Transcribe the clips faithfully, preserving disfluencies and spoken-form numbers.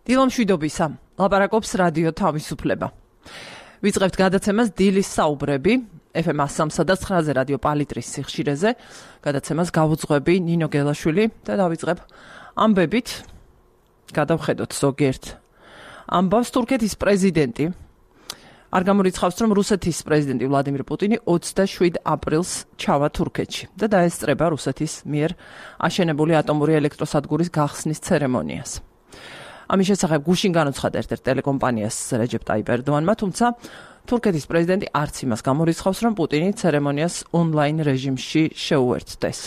დილამშვიდობისა, ლაპარაკობს რადიო თავისუფლება. ვიწყებთ გადაცემას დილის საუბრები, ეფ ემ სამსა და ცხრაზე რადიო პალიტრის სიხშირეზე. გადაცემას გავუძღვები ნინო გელაშვილი და დავიწყებ ამბებით. გადავხედოთ ზოგიერთ ამბავს. თურქეთის პრეზიდენტი არ გამორიცხავს, რომ რუსეთის პრეზიდენტი ვლადიმირ პუტინი ოცდაშვიდ აპრილს ჩავა თურქეთში და დაესწრება რუსეთის მიერ აშენებული ატომური ელექტროსადგურის გახსნის ცერემონიას. ამის შესახებ გუშინ განუცხადა ერთ-ერთ ტელეკომპანიას რეჯეპ ტაიპ ერდოანმა, თუმცა თურქეთის პრეზიდენტი არც იმას გამორიცხავს, რომ პუტინი ცერემონიას ონლაინ რეჟიმში შეუერთდეს.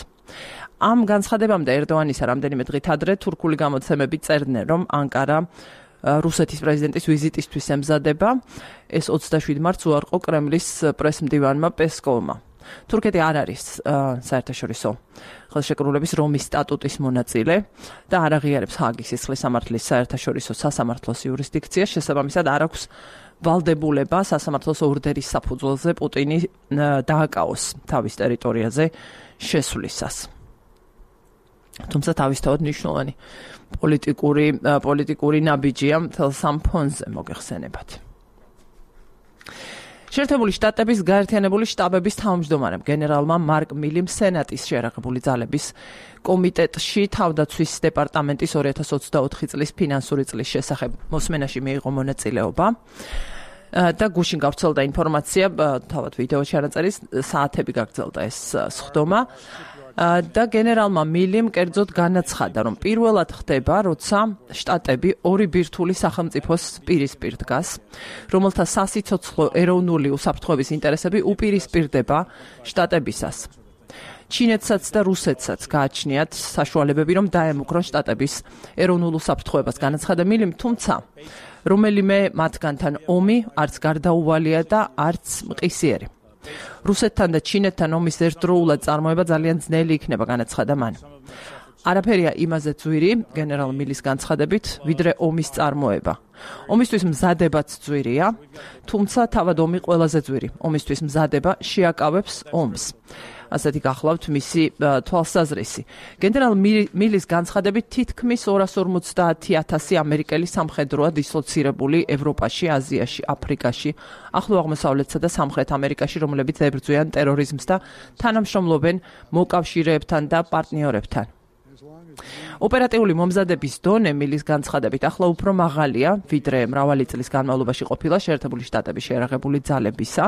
ამ განცხადებამდე ერდოანისა რამდენიმე დღით ადრე თურქული გამოცემები წერდნენ, რომ ანკარა რუსეთის პრეზიდენტის ვიზიტისთვის ემზადება. ეს ოცდაშვიდ მარტს უარყო კრემლის პრესმდივანმა პესკოვმა. თურქეთი არ არის საერთაშორისო ხელშეკრულების რომის სტატუტის მონაწილე და არ აღიარებს ჰააგის სისხლის სამართლის საერთაშორისო სასამართლოს იურისდიქციას. შესაბამისად არ აქვს ვალდებულება სასამართლოს ორდერის საფუძველზე პუტინი დააკავოს თავის ტერიტორიაზე შესვლისას. თუმცა თავისთავად მნიშვნელოვანი პოლიტიკური პოლიტიკური ნაბიჯია მთელ სამ ფონზე მოგეხსენებათ. შეერთებული შტატების გაერთიანებული შტაბების თავმჯდომარემ გენერალმა მარკ მილიმ სენატის შეერაღებული ძალების კომიტეტში თავდაცვის დეპარტამენტის ორი ათას ოცდაოთხი წლის ფინანსური წლის შესახებ მოსმენაში მიიღო მონაწილეობა და გუშინ გავრცელდა ინფორმაცია, თავად ვიდეო ჩანაწერის საათები გაგრძელდა ეს სხდომა და გენერალმა მილიმ კერძოდ განაცხადა, რომ პირველად ხდება, როცა შტატები ორი ბირთვული სახელმწიფოს პირისპირ დგას, რომელთა სასიცოცხლო ეროვნული უსაფრთხოების ინტერესები უპირისპირდება შტატებისას. ჩინეთსაც და რუსეთსაც გააჩნიათ საშუალებები, რომ დაემუქრონ შტატების ეროვნულ უსაფრთხოებას, განაცხადა მილიმ, თუმცა რომელიმე მათგანთან ომი არც გარდაუვალია და არც მყისიერი. რუსეთთან და ჩინეთთან ომის ერთდროულად წარმოება ძალიან ძნელი იქნება, განაცხადა მან. არაფერია იმაზე ძვირი, გენერალ მილის განცხადებით, ვიდრე ომის წარმოება. ომისთვის მზადებაც ძვირია, თუმცა თავად ომი ყველაზე ძვირი. ომისთვის მზადება შეაკავებს ომს. ასეთი გახლავთ მისი თვალსაზრისი. გენერალ მილის განცხადებით თითქმის ორას ორმოცდაათი ათასი ამერიკელი სამხედროა დისლოცირებული ევროპაში, აზიაში, აფრიკაში, ახლო აღმოსავლეთსა და სამხრეთ ამერიკაში, რომლებიც ებრძვიან ტერორიზმს და თანამშრომლობენ მოკავშირეებთან და პარტნიორებთან. ოპერატიული მომზადების დონე მილის განცხადებით ახლა უფრო მაღალია, ვიდრე მრავალი წლის განმავლობაში ყოფილა შეერთებული შტატების შეერაღებული ძალებისა.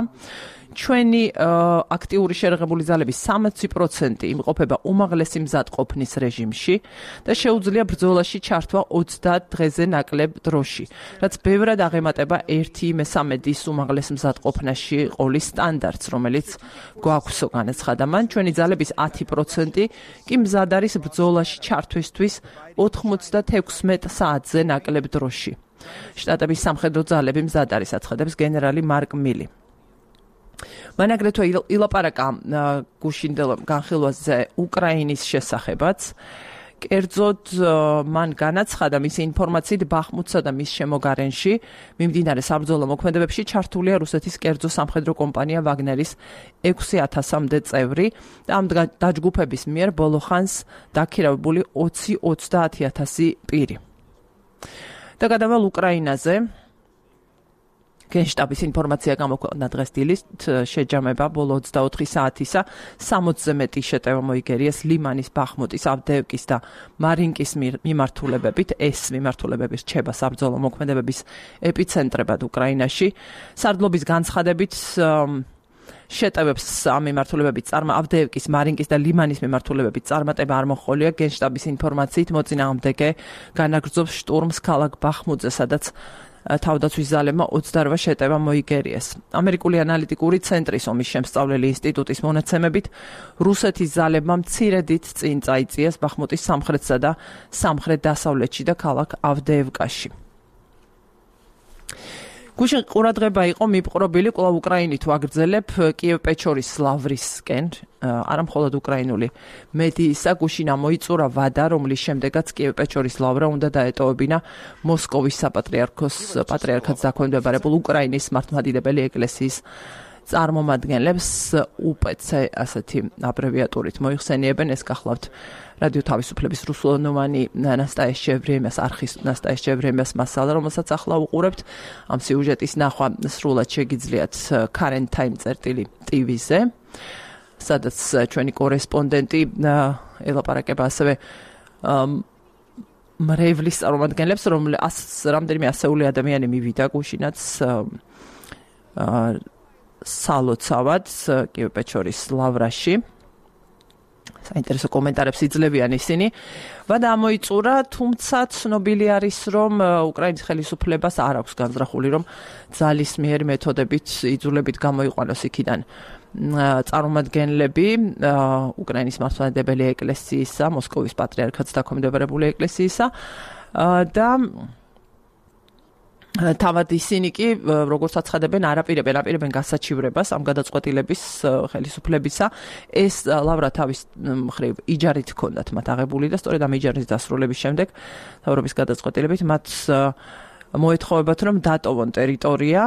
ჩვენი აქტიური შეერაღებული ძალების სამოცი პროცენტი იმყოფება უმაღლესი მზადყოფნის რეჟიმში და შეუძლია ბრძოლაში ჩართვა ოცდაათ დღეზე ნაკლებ დროში, რაც ბევრად აღემატება ერთი მესამედის უმაღლეს მზადყოფნაში ყოლის სტანდარტს, რომელიც გვაქვსო, განაცხადა მან. ჩვენი ძალების ათი პროცენტი კი მზად არის ბრძოლაში ჩართვისთვის ოთხმოცდათექვსმეტ საათზე ნაკლებ დროში. შტატების სამხედრო ძალები მზად არის, აცხადებს გენერალი მარკ მილი. მან აგრეთვე ილაპარაკა გუშინდელ განხილვაზე უკრაინის შესახებაც. კერძოდ მან განაცხადა, მისი ინფორმაციით ბახმუტსა და მის შემოგარენში მიმდინარე საბრძოლო მოქმედებებში ჩართულია რუსეთის კერძო სამხედრო კომპანია ვაგნერის ექვსი ათასამდე წევრი და ამ დაჯგუფების მიერ ბოლო ხანს დაქირავებული ოცი ოცდაათი ათასი პირი. და გადავალ უკრაინაზე. გენშტაბის ინფორმაცია გამოქვეყნდა დღეს დილით, შეჯამება ბოლო ოცდაოთხი საათისა სამოცზე მეტი შეტევა მოიგერიეს ლიმანის, ბახმუტის, ავდეევკის და მარინკის მიმართულებებით. ეს მიმართულებები რჩება საბრძოლო მოქმედებების ეპიცენტრებად უკრაინაში. სარდლობის განცხადებით შეტევებს ამ მიმართულებებით წარმატება ავდეევკის, მარინკის და ლიმანის მიმართულებებით წარმატება არ მოჰყოლია. გენშტაბის ინფორმაციით მოწინააღმდეგე განაგრძობს შტურმს ქალაქ ბახმუტზე, სადაც თავდაცვის ძალებმა ოცდაორ შეტევა მოიგერიეს. ამერიკული ანალიტიკური ცენტრის ომის შემსწავლელი ინსტიტუტის მონაცემებით რუსეთის ძალებმა მცირედით წინ წაიწიეს ბახმუტის სამხრეთსა და სამხრეთ დასავლეთში და ქალაქ ავდეევკაში. გუშინ ყურადღება იყო მიპყრობილი კვლავ უკრაინით ვაგრძელებ კიევ-პეჩორის ლავრისკენ, არა მხოლოდ უკრაინული მედიისა. გუშინ ამოიწურა ვადა, რომლის შემდეგაც კიევ-პეჩორის ლავრა უნდა დაეტოვებინა მოსკოვის საპატრიარქოს პატრიარქატს დაქვემდებარებულ უკრაინის მართლმადიდებელი ეკლესიის წარმომადგენლებს УПЦ ასეთი აბრევიატურით მოიხსენიებენ. ეს გახლავთ რადიო თავისუფლების რუსულენოვანი ნასტაია შევრემიას არხის ნასტაია შევრემიას მასალა, რომელსაც ახლა უყურებთ. ამ სიუჟეტის ნახვა სრულად შეგიძლიათ Current Time წერტილი ტივიზე, სადაც ჩვენი კორესპონდენტი ელაპარაკება ასევე მრევლის წარმომადგენლებს, რომლებიც რამდენიმე ასეული ადამიანი მივიდა გუშინაც სალოცავად კიევ-პეჩორის ლავრაში. საინტერესო კომენტარებს იძლევიან ისინი. ვადა ამოიწურა, თუმცა ცნობილი არის, რომ უკრაინის ხელისუფლებას არ აქვს განზრახული, რომ ძალისმიერი მეთოდებით იძულებით გამოიყვანოს იქიდან წარმომადგენლები უკრაინის მართლმადიდებელი ეკლესიისა, მოსკოვის პატრიარქატს დაქვემდებარებული ეკლესიისა და თავად ისინი კი როგორც აცხადებენ არაპირებენ აპირებენ გასაჩივრებას ამ გადაწყვეტილების ხელისუფლებისა. ეს ლავრა თავის მხრივ იჯარით ჰქონდათ მათ აღებული და სწორედ ამ იჯარის დასრულების შემდეგ თავრობის გადაწყვეტილებით მათ მოეთხოვებათ, რომ დატოვონ ტერიტორია,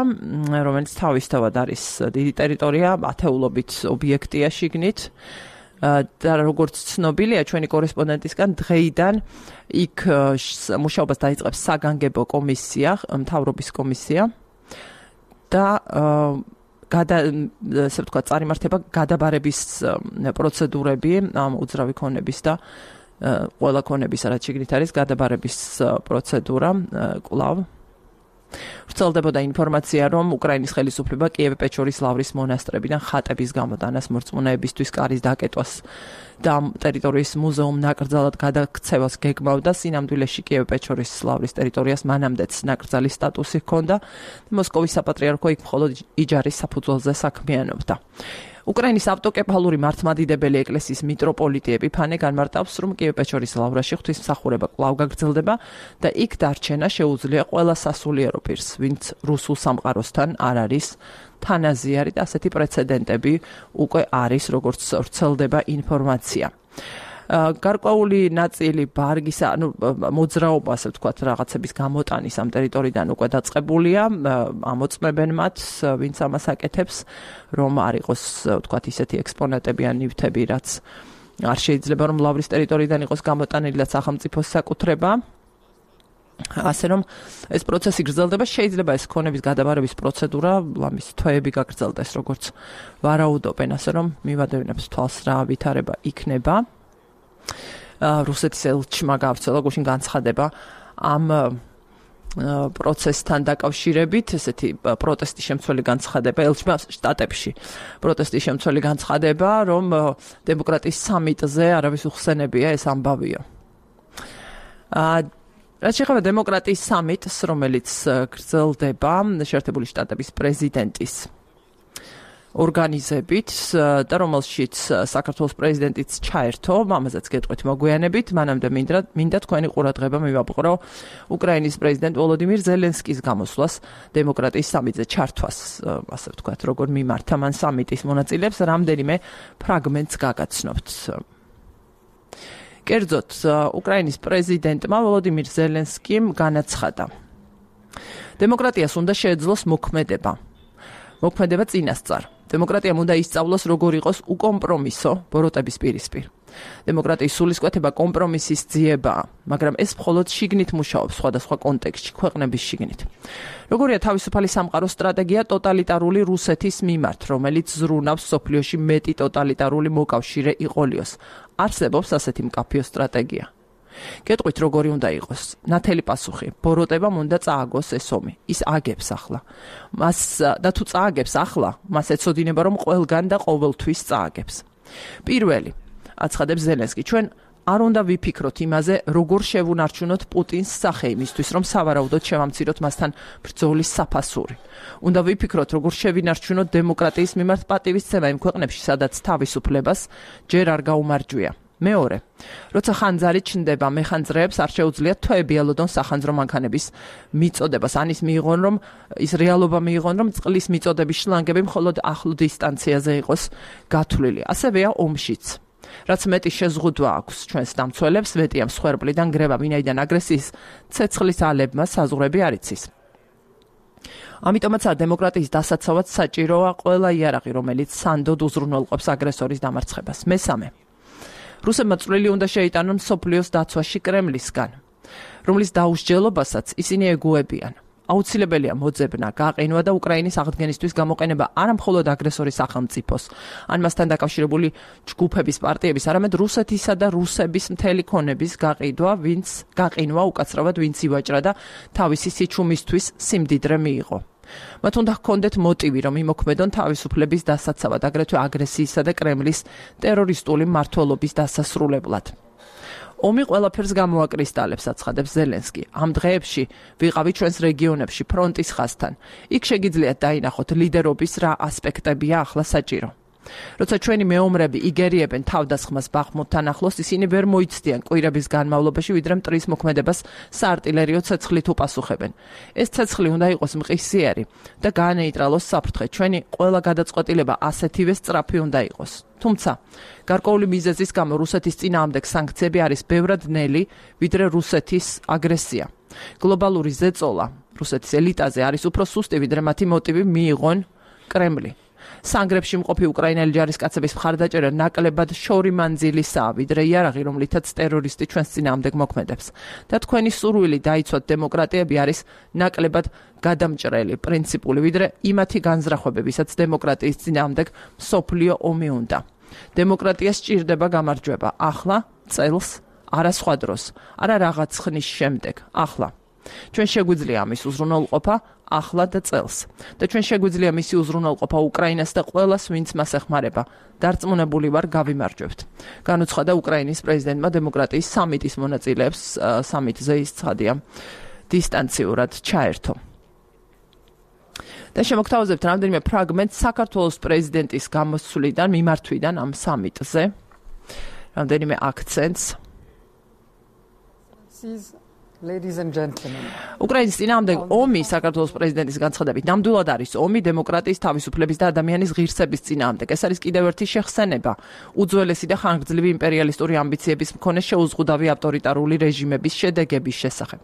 რომელიც თავისთავად არის დიდი ტერიტორია, ათეულობით ობიექტია შიგნით. და როგორც ცნობილია ჩვენი კორესპონდენტისგან, დღეიდან იქ მუშაობას დაიწყებს საგანგებო კომისია, მთავრობის კომისია და გადა ესე ვთქვათ, წარიმართება გადაბარების პროცედურები ამ უძრავი ქონების და ყველა ქონების, რაც შიგნით არის, გადაბარების პროცედურა კვლავ. ვრცელდებოდა ინფორმაცია, რომ უკრაინის ხელისუფლება კიევ-პეჩორის ლავრის მონასტრებიდან ხატების გამოტანას, მორწმუნეებისთვის კარის დაკეტვას და ტერიტორიის მუზეუმ ნაკრძალად გადაქცევას გეგმავდა. სინამდვილეში კიევ-პეჩორის ლავრის ტერიტორიას მანამდეც ნაკრძალის სტატუსი ჰქონდა. მოსკოვის საპატრიარქო იქ მხოლოდ იჯარის საფუძველზე საქმიანობდა. უკრაინის ავტოკეფალური მართლმადიდებელი ეკლესიის მიტროპოლიტი ეპიფანე განმარტავს, რომ კიევ-პეჩორის ლავრაში ღვთისმსახურება კვლავ გაგრძელდება და იქ დარჩენა შეუძლია ყველა სასულიერო პირს, ვინც რუსულ სამყაროსთან არ არის თანაზიარი და ასეთი პრეცედენტები უკვე არის, როგორც ვრცელდება ინფორმაცია. გარკვეული ნაწილი ბარგის, ანუ მოძრაობა, ასე ვთქვათ, რაღაცების გამოტანის ამ ტერიტორიიდან უკვე დაწყებულია, ამოწმებენ მათ, ვინც ამას აკეთებს, რომ არ იყოს, ვთქვათ, ისეთი ექსპონატები ან ნივთები, რაც არ შეიძლება, რომ ლავრის ტერიტორიიდან იყოს გამოტანილი და სახელმწიფოს საკუთრება. ასე რომ ეს პროცესი გრძელდება, შეიძლება ეს ქონების გადაბარების პროცედურა ლამის თვეები გაგრძელდეს, როგორც ვარაუდობენ, ასე რომ მივადევნებს თვალს რა ვითარება იქნება. რუსეთის ელჩმა გავრცელა გუშინ განცხადება ამ პროცესთან დაკავშირებით, ესეთი პროტესტის შემცველი განცხადება ელჩმა შტატებში. პროტესტის შემცველი განცხადება, რომ დემოკრატიის სამიტზე არავის უხსენებია ეს ამბავიო. რაც შეეხება დემოკრატიის სამიტს, რომელიც გრძელდება შეერთებული შტატების პრეზიდენტის ორგანიზებით და რომელშიც საქართველოს პრეზიდენტიც ჩაერთო, ამაზეც გეტყვით მოგვიანებით, მანამდე მინდა მინდა თქვენი ყურადღება მივაბყრო უკრაინის პრეზიდენტ ვოლოდიმირ ზელენსკის გამოსვლას დემოკრატიის სამიტზე ჩართვას, ასე ვთქვათ, როგორ მიმართა მან სამიტის მონაწილეებს, რამდენიმე ფრაგმენტს გაგაცნობთ. კერძოდ, უკრაინის პრეზიდენტმა ვოლოდიმირ ზელენსკიმ განაცხადა: დემოკრატიას უნდა შეეძლოს მოქმედება. მოქმედება წინასწარ. დემოკრატიამ უნდა ისწავლოს, როგორ იყოს უკომპრომისო ბოროტების პირისპირ. დემოკრატიის სულისკვეთება კომპრომისის ძიებაა, მაგრამ ეს მხოლოდ შიგნით მუშაობს სხვადასხვა კონტექსტში, ქვეყნების შიგნით. როგორია თავისუფალი სამყაროს სტრატეგია ტოტალიტარული რუსეთის მიმართ, რომელიც ზრუნავს სოფლიოში მეტი ტოტალიტარული მოკავშირე იყოლიოს. არსებობს ასეთი მკაფიო სტრატეგია. გეტყვით, როგორი უნდა იყოს? ნათელი პასუხი: ბოროტებამ უნდა წააგოს ეს ომი. ის აგებს ახლა. მას და თუ წააგებს ახლა, მას ეცოდინება, რომ ყველგან და ყოველთვის წააგებს. პირველი, აცხადებს ზელენსკი, ჩვენ არ უნდა ვიფიქროთ იმაზე, როგორ შევუნარჩუნოთ პუტინს სახე იმისთვის, რომ სავარაუდოდ შევამციროთ მასთან ბრძოლის საფასური. უნდა ვიფიქროთ, როგორ შევინარჩუნოთ დემოკრატიის მიმართ პატივისცემა იმ ქვეყნებში, სადაც თავისუფლებას ჯერ არ გაუმარჯვია. მეორე, როცა ხანძარი ჩნდება, მეხანძრეებს არ შეუძლიათ თვეები ელოდონ სახანძრო მანქანების მიწოდებას. ანის მიიღონ, რომ ის რეალობა მიიღონ, რომ წყლის მიწოდების შლანგები მხოლოდ ახლო დისტანციაზე იყოს გათვლილი. ასევეა ომშიც. რაც მეტი შეზღუდვა აქვს ჩვენს დამცველებს, მეტია მსხვერპლიდან გრება, ვინაიდან აგრესიის ცეცხლის ალებმა საზღვრები არ იცის. ამიტომაც დემოკრატიის დასაცავად საჭიროა ყველა იარაღი, რომელიც სანდოდ უზრუნველყოფს აგრესორის დამარცხებას. მესამე. რუსებმა წვლილი უნდა შეიტანონ მსოფლიოს დაცვაში კრემლისგან, რომლის დაუსჯელობასაც ისინი ეგუებიან. აუცილებელია მოძებნა, გაყინვა და უკრაინის აღდგენისთვის გამოყენება არა მხოლოდ აგრესორის სახელმწიფოს, ან მასთან დაკავშირებული ჯგუფების პარტიების, არამედ რუსეთისა და რუსების მთელი ქონების გაყიდვა, ვინც გაყინვა უკაცრავად ვინც ივაჭრა და თავისი სიჩუმისთვის სიმდიდრე მიიღო. მათ უნდა ჰქონდეთ მოტივი, რომ იმოქმედონ თავისუფლების დასაცავად, აგრეთვე აგრესიისა და კრემლის ტერორისტული მმართველობის დასასრულებლად. ომი ყველაფერს გამოაკრისტალებს, აცხადებს ზელენსკი. ამ დღეებში ვიყავი ჩვენს რეგიონებში ფრონტის ხაზთან. იქ შეგიძლიათ დაინახოთ ლიდერობის რა ასპექტებია ახლა საჭირო. როცა ჩვენი მეომრები იგერიებენ თავდასხმას ბახმუთთან ახლოს, ისინი ვერ მოიცდიან კვირების განმავლობაში, ვიდრე მტრის მოქმედებას საარტილერიო ცეცხლით უპასუხებენ. ეს ცეცხლი უნდა იყოს მყისიერი და გაანეიტრალოს საფრთხე. ჩვენი ყველა გადაწყვეტილება ასეთივე სწრაფი უნდა იყოს. თუმცა, გარკვეული მიზეზის გამო რუსეთის წინააღმდეგ სანქციები არის ბევრად ნელი, ვიდრე რუსეთის აგრესია. გლობალური ზეწოლა რუსეთის ელიტაზე არის უფრო სუსტი, ვიდრე მათი მოტივი მიიღონ კრემლი. სანგრებში მყოფი უკრაინელი ჯარისკაცების მხარდაჭერა ნაკლებად შორი მანძილისაა, ვიდრე იარაღი, რომლითაც ტერორისტი ჩვენს წინააღმდეგ მოქმედებს. და თქვენი სურვილი დაიცვათ დემოკრატიები არის ნაკლებად გადამჭრელი, პრინციპული, ვიდრე იმათი განზრახვებებისაც დემოკრატიის წინააღმდეგ მსოფლიო ომი უნდა. დემოკრატია სჭირდება გამარჯვება ახლა, წელს, არა სხვა დროს, არა რაღაც ხნის შემდეგ, ახლა. ჩვენ შეგვიძლია ამის უზრუნველყოფა ახლა და წელს. და ჩვენ შეგვიძლია მისი უზრუნველყოფა უკრაინას და ყველას, ვინც მას ეხმარება. დარწმუნებული ვარ, გავიმარჯვებთ. განუცხადა უკრაინის პრეზიდენტმა დემოკრატიის სამიტის მონაწილეებს სამიტზე ის ცხადია დისტანციურად ჩაერთო. და შემოგთავაზებთ რამდენიმე ფრაგმენტ საქართველოს პრეზიდენტის გამოსვლიდან, მიმართვიდან ამ სამიტზე. რამდენიმე აქცენტს. Ladies and gentlemen. უკრაინის წინააღმდეგ ომი საქართველოს პრეზიდენტის განცხადებით ნამდვილად არის ომი დემოკრატიის, თავისუფლების და ადამიანის ღირსების წინააღმდეგ. ეს არის კიდევ ერთი შეხსენება უძველესი და ხანგრძლივი იმპერიალისტური ამბიციების მქონე შეუზღუდავი ავტორიტარული რეჟიმების შედეგების შესახებ.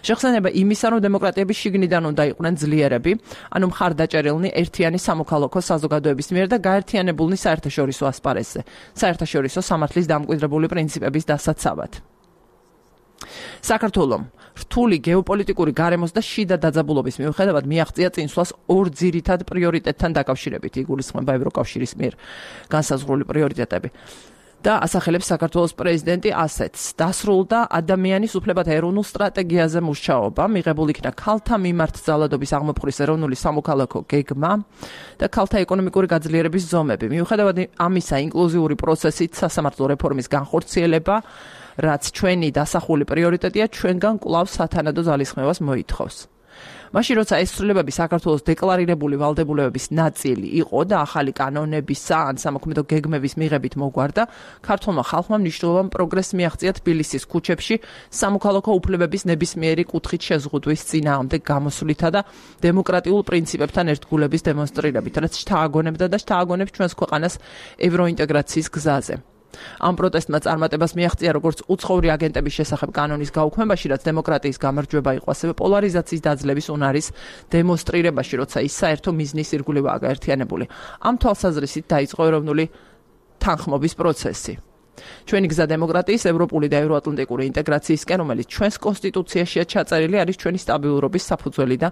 შეხსენება იმისა, რომ დემოკრატიები შიგნიდან უნდა იყვნენ ძლიერები, ანუ მხარდაჭერილნი ერთიანი სამოქალაქო საზოგადოების მიერ და გაერთიანებულნი საერთაშორისო ასპარეზზე, საერთაშორისო სამართლის დამკვიდრებული პრინციპების დასაცავად. საქართველომ რთული გეოპოლიტიკური გარემოს და შიდა დაძაბულობის მიუხედავად მიაღწია წინსვლას ორ ძირითად პრიორიტეტთან დაკავშირებით, იგულისხმება ევროკავშირის მიერ განსაზღვრული პრიორიტეტები. და ასახელებს საქართველოს პრეზიდენტი ასეთს. დასრულდა ადამიანის უფლებათა ეროვნულ სტრატეგიაზე მუშაობა, მიღებულ იქნა ქალთა მიმართ ძალადობის აღმოფხვრის ეროვნული სამოქალაქო გეგმა და ქალთა ეკონომიკური გაძლიერების ზომები. მიუხედავად ამისა, ინკლუზიური პროცესით სასამართლო რეფორმის განხორციელება, რაც ჩვენი დასახული პრიორიტეტია, ჩვენგან კვლავ სათანადო ძალისხმევას მოითხოვს. მაშინ როცა ეს ცვლილებები საქართველოს დეკლარირებული ვალდებულებების ნაწილი იყო და ახალი კანონებისა ან სამოქმედო გეგმების მიღებით მოგვარდა, ქართულმა ხალხმა მნიშვნელოვან პროგრესს მიაღწია თბილისის ქუჩებში სამოქალაქო უფლებების ნებისმიერი კუთხით შეზღუდვის წინააღმდეგ გამოსვლითა და დემოკრატიულ პრინციპებთან ერთგულების დემონსტრირებით, რაც შთააგონებდა და შთააგონებს ჩვენს ქვეყანას ევროინტეგრაციის გზაზე. ამ პროტესტმა წარმატებას მიაღწია როგორც უცხოური აგენტების შესახებ კანონის გაუქმებაში, რაც დემოკრატიის გამარჯვება იყო, ასევე პოლარიზაციის დაძლევის უნარის დემონსტრირებაში, როცა ის საერთო მიზნის ირგვლივაა გაერთიანებული. ამ თვალსაზრისით დაიწყო ეროვნული თანხმობის პროცესი. ჩვენი გზა დემოკრატიის, ევროპული და ევროატლანტიკური ინტეგრაციისკენ, რომელიც ჩვენს კონსტიტუციაშია ჩაწერილი, არის ჩვენი სტაბილურობის საფუძველი და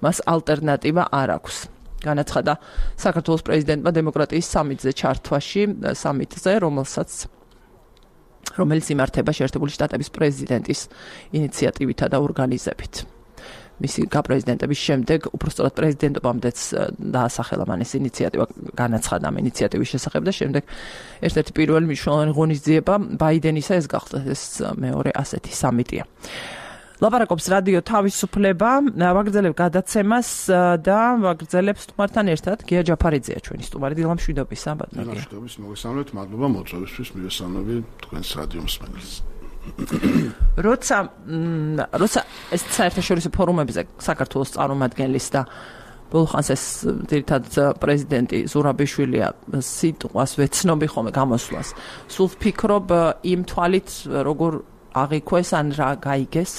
მას ალტერნატივა არ აქვს. განაცხადა საქართველოს პრეზიდენტმა დემოკრატიის სამიტზე ჩართვაში, სამიტზე, რომელსაც რომელიც იმართება შეერთებული შტატების პრეზიდენტის ინიციატივითა და ორგანიზებით. მისი გაპრეზიდენტების შემდეგ, უпростоრად პრეზიდენტობამდეც დაასახელა მან ეს ინიციატივა, განაცხადა ამ ინიციატივის შესახებ და შემდეგ ერთ-ერთი პირველი მნიშვნელოვანი ღონისძიება ბაიდენისა ეს გახდა, ეს მეორე ასეთი სამიტია. ლაპარაკობს რადიო თავისუფლება, ვაგრძელებ გადაცემას და ვაგრძელებ სტუმართან ერთად გია ჯაფარიძეა ჩვენი სტუმარი. დილა მშვიდობისა, ბატონო გია. მშვიდობის, მოგესალმებით, მადლობა მოწვევისთვის, მივესალმები თქვენს რადიო მსმენელს. როცა როცა ეს საერთაშორისო ფორუმებზე საქართველოს წარმომადგენლის და ბოლხანს ეს ძირითად პრეზიდენტი ზურაბიშვილია სიტყვას ვეცნობი ხოლმე გამოსვლას. სულ ვფიქრობ იმ თვალით, როგორ აღიქვეს ან რა გაიგეს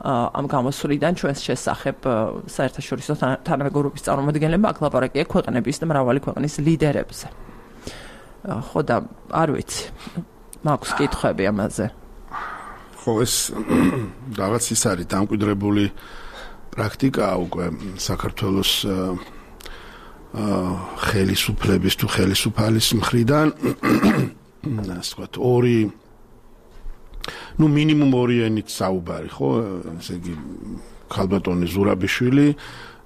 ამ გამოსვლიდან ჩვენს შესახებ საერთაშორისო თანამეგობრობის წარმომადგენლებმა აქ ლაპარაკია ქვეყნების და მრავალი ქვეყნის ლიდერებზე. ხო და არ ვიცი. მაქვს კითხვები ამაზე. ხო ეს რაღაც ის არის დამკვიდრებული პრაქტიკა უკვე საქართველოს ხელისუფლების თუ ხელისუფალის მხრიდან ასე ვთქვათ ორი ну минимум ორი ენით საუბარი ხო ესე იგი ქალბატონი ზურაბიშვილი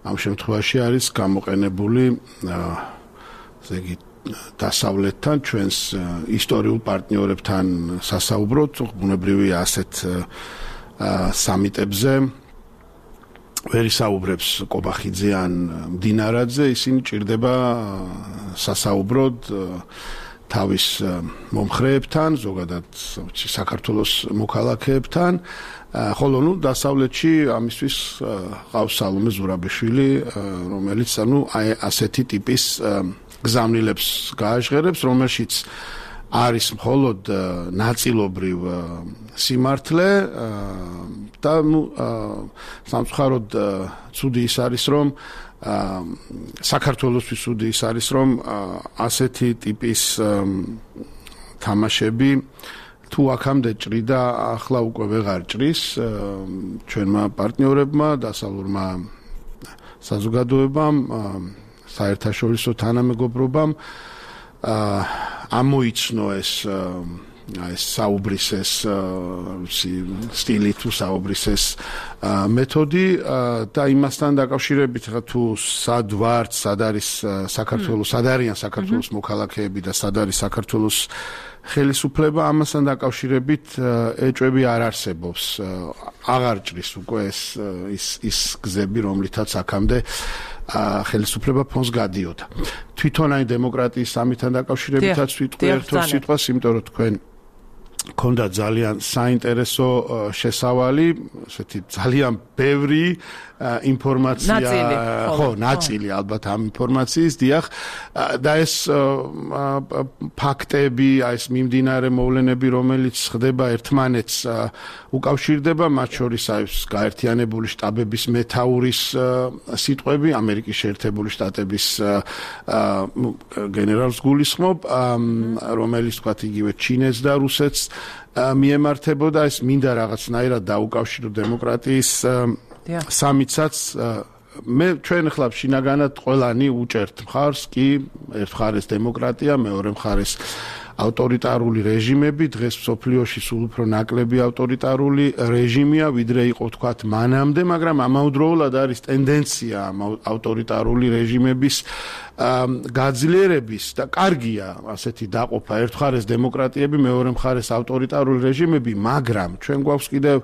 ამ შემთხვევაში არის გამოყენებული ესე იგი დასავლეთთან ჩვენს ისტორიულ პარტნიორებთან სასაუბროთ ბუნებრივია ასეთ სამიტებზე ვერ ისაუბრებს კობახიძე ან მდინარაძე ისინი ჭირდება სასაუბროდ თავის მომხრეებთან, ზოგადად საქართველოს მოქალაქეებთან, ხოლო ნუ დასავლეთში ამისთვის ყავს სალომე ზურაბიშვილი, რომელიც ანუ ასეთი ტიპის გზავნილებს გააჟღერებს, რომელშიც არის მხოლოდ ნაწილობრივ სიმართლე და ნუ სამწუხაროდ ცუდი ის არის, რომ საქართველოსთვის ცუდი ის არის, რომ ასეთი ტიპის თამაშები თუ აქამდე ჭრიდა, ახლა უკვე ვეღარ ჭრის ჩვენმა პარტნიორებმა, დასავლურმა საზოგადოებამ, საერთაშორისო თანამეგობრობამ ამოიცნო ეს ეს საუბრის ეს სტილი თუ საუბრის ეს მეთოდი და იმასთან დაკავშირებით ხა თუ სად ვართ, სად არის საქართველოს, სად არიან საქართველოს მოქალაქეები და სად არის საქართველოს ხელისუფლება, ამასთან დაკავშირებით ეჭვები არ არსებობს. აღარ ჭრის უკვე ეს ის ის გზები, რომლითაც აქამდე ხელისუფლება ფონს გადიოდა. თვითონ აი დემოკრატიის სამიტთან დაკავშირებითაც ვიტყვი ერთ-ორ სიტყვას, იმიტომ რომ თქვენ ქონდა ძალიან საინტერესო შესავალი, ესეთი ძალიან ბევრი ინფორმაცია, ხო, ნაწილი ალბათ ამ ინფორმაციის, დიახ, და ეს ფაქტები, ეს მიმდინარე მოვლენები, რომელიც ხდება ერთმანეთს უკავშირდება, მათ შორის ეს გაერთიანებული შტაბების მეთაურის სიტყვები, ამერიკის შეერთებული შტატების გენერალს გულისხმობ, რომელიც თქვათ იგივე ჩინეთს და რუსეთს მიემართებოდა, ეს მინდა რაღაცნაირად დაუკავშირო დემოკრატიის სამიტსაც. მე ჩვენ ახლა შინაგანად ყველანი უჭერთ მხარს, კი, ერთ მხარეს დემოკრატია, მეორე მხარეს ავტორიტარული რეჟიმები, დღეს მსოფლიოში სულ უფრო ნაკლები ავტორიტარული რეჟიმია, ვიდრე იყო თქვათ მანამდე, მაგრამ ამავდროულად არის ტენდენცია ავტორიტარული რეჟიმების გაძლიერების და კარგია ასეთი დაყოფა, ერთ მხარეს დემოკრატიები, მეორე მხარეს ავტორიტარული რეჟიმები, მაგრამ ჩვენ გვაქვს კიდევ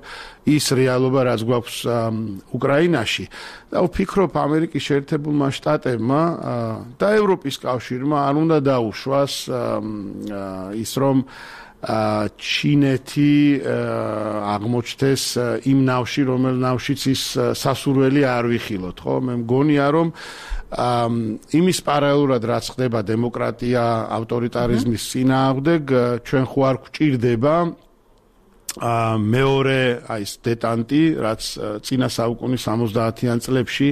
ის რეალობა, რაც გვაქვს უკრაინაში და ვფიქრობ ამერიკის შეერთებულმა შტატებმა და ევროპის კავშირმა არ უნდა დაუშვას ის რომ ჩინეთი აღმოჩნდეს იმ ნავში, რომელ ნავშიც ის სასურველი არ ვიხილოთ, ხო? მე მგონია რომ იმის პარალელურად რაც ხდება დემოკრატია ავტორიტარიზმის წინააღმდეგ, ჩვენ ხო არ გვჭირდება მეორე აი ეს დეტანტი, რაც წინა საუკუნის სამოცდაათიან წლებში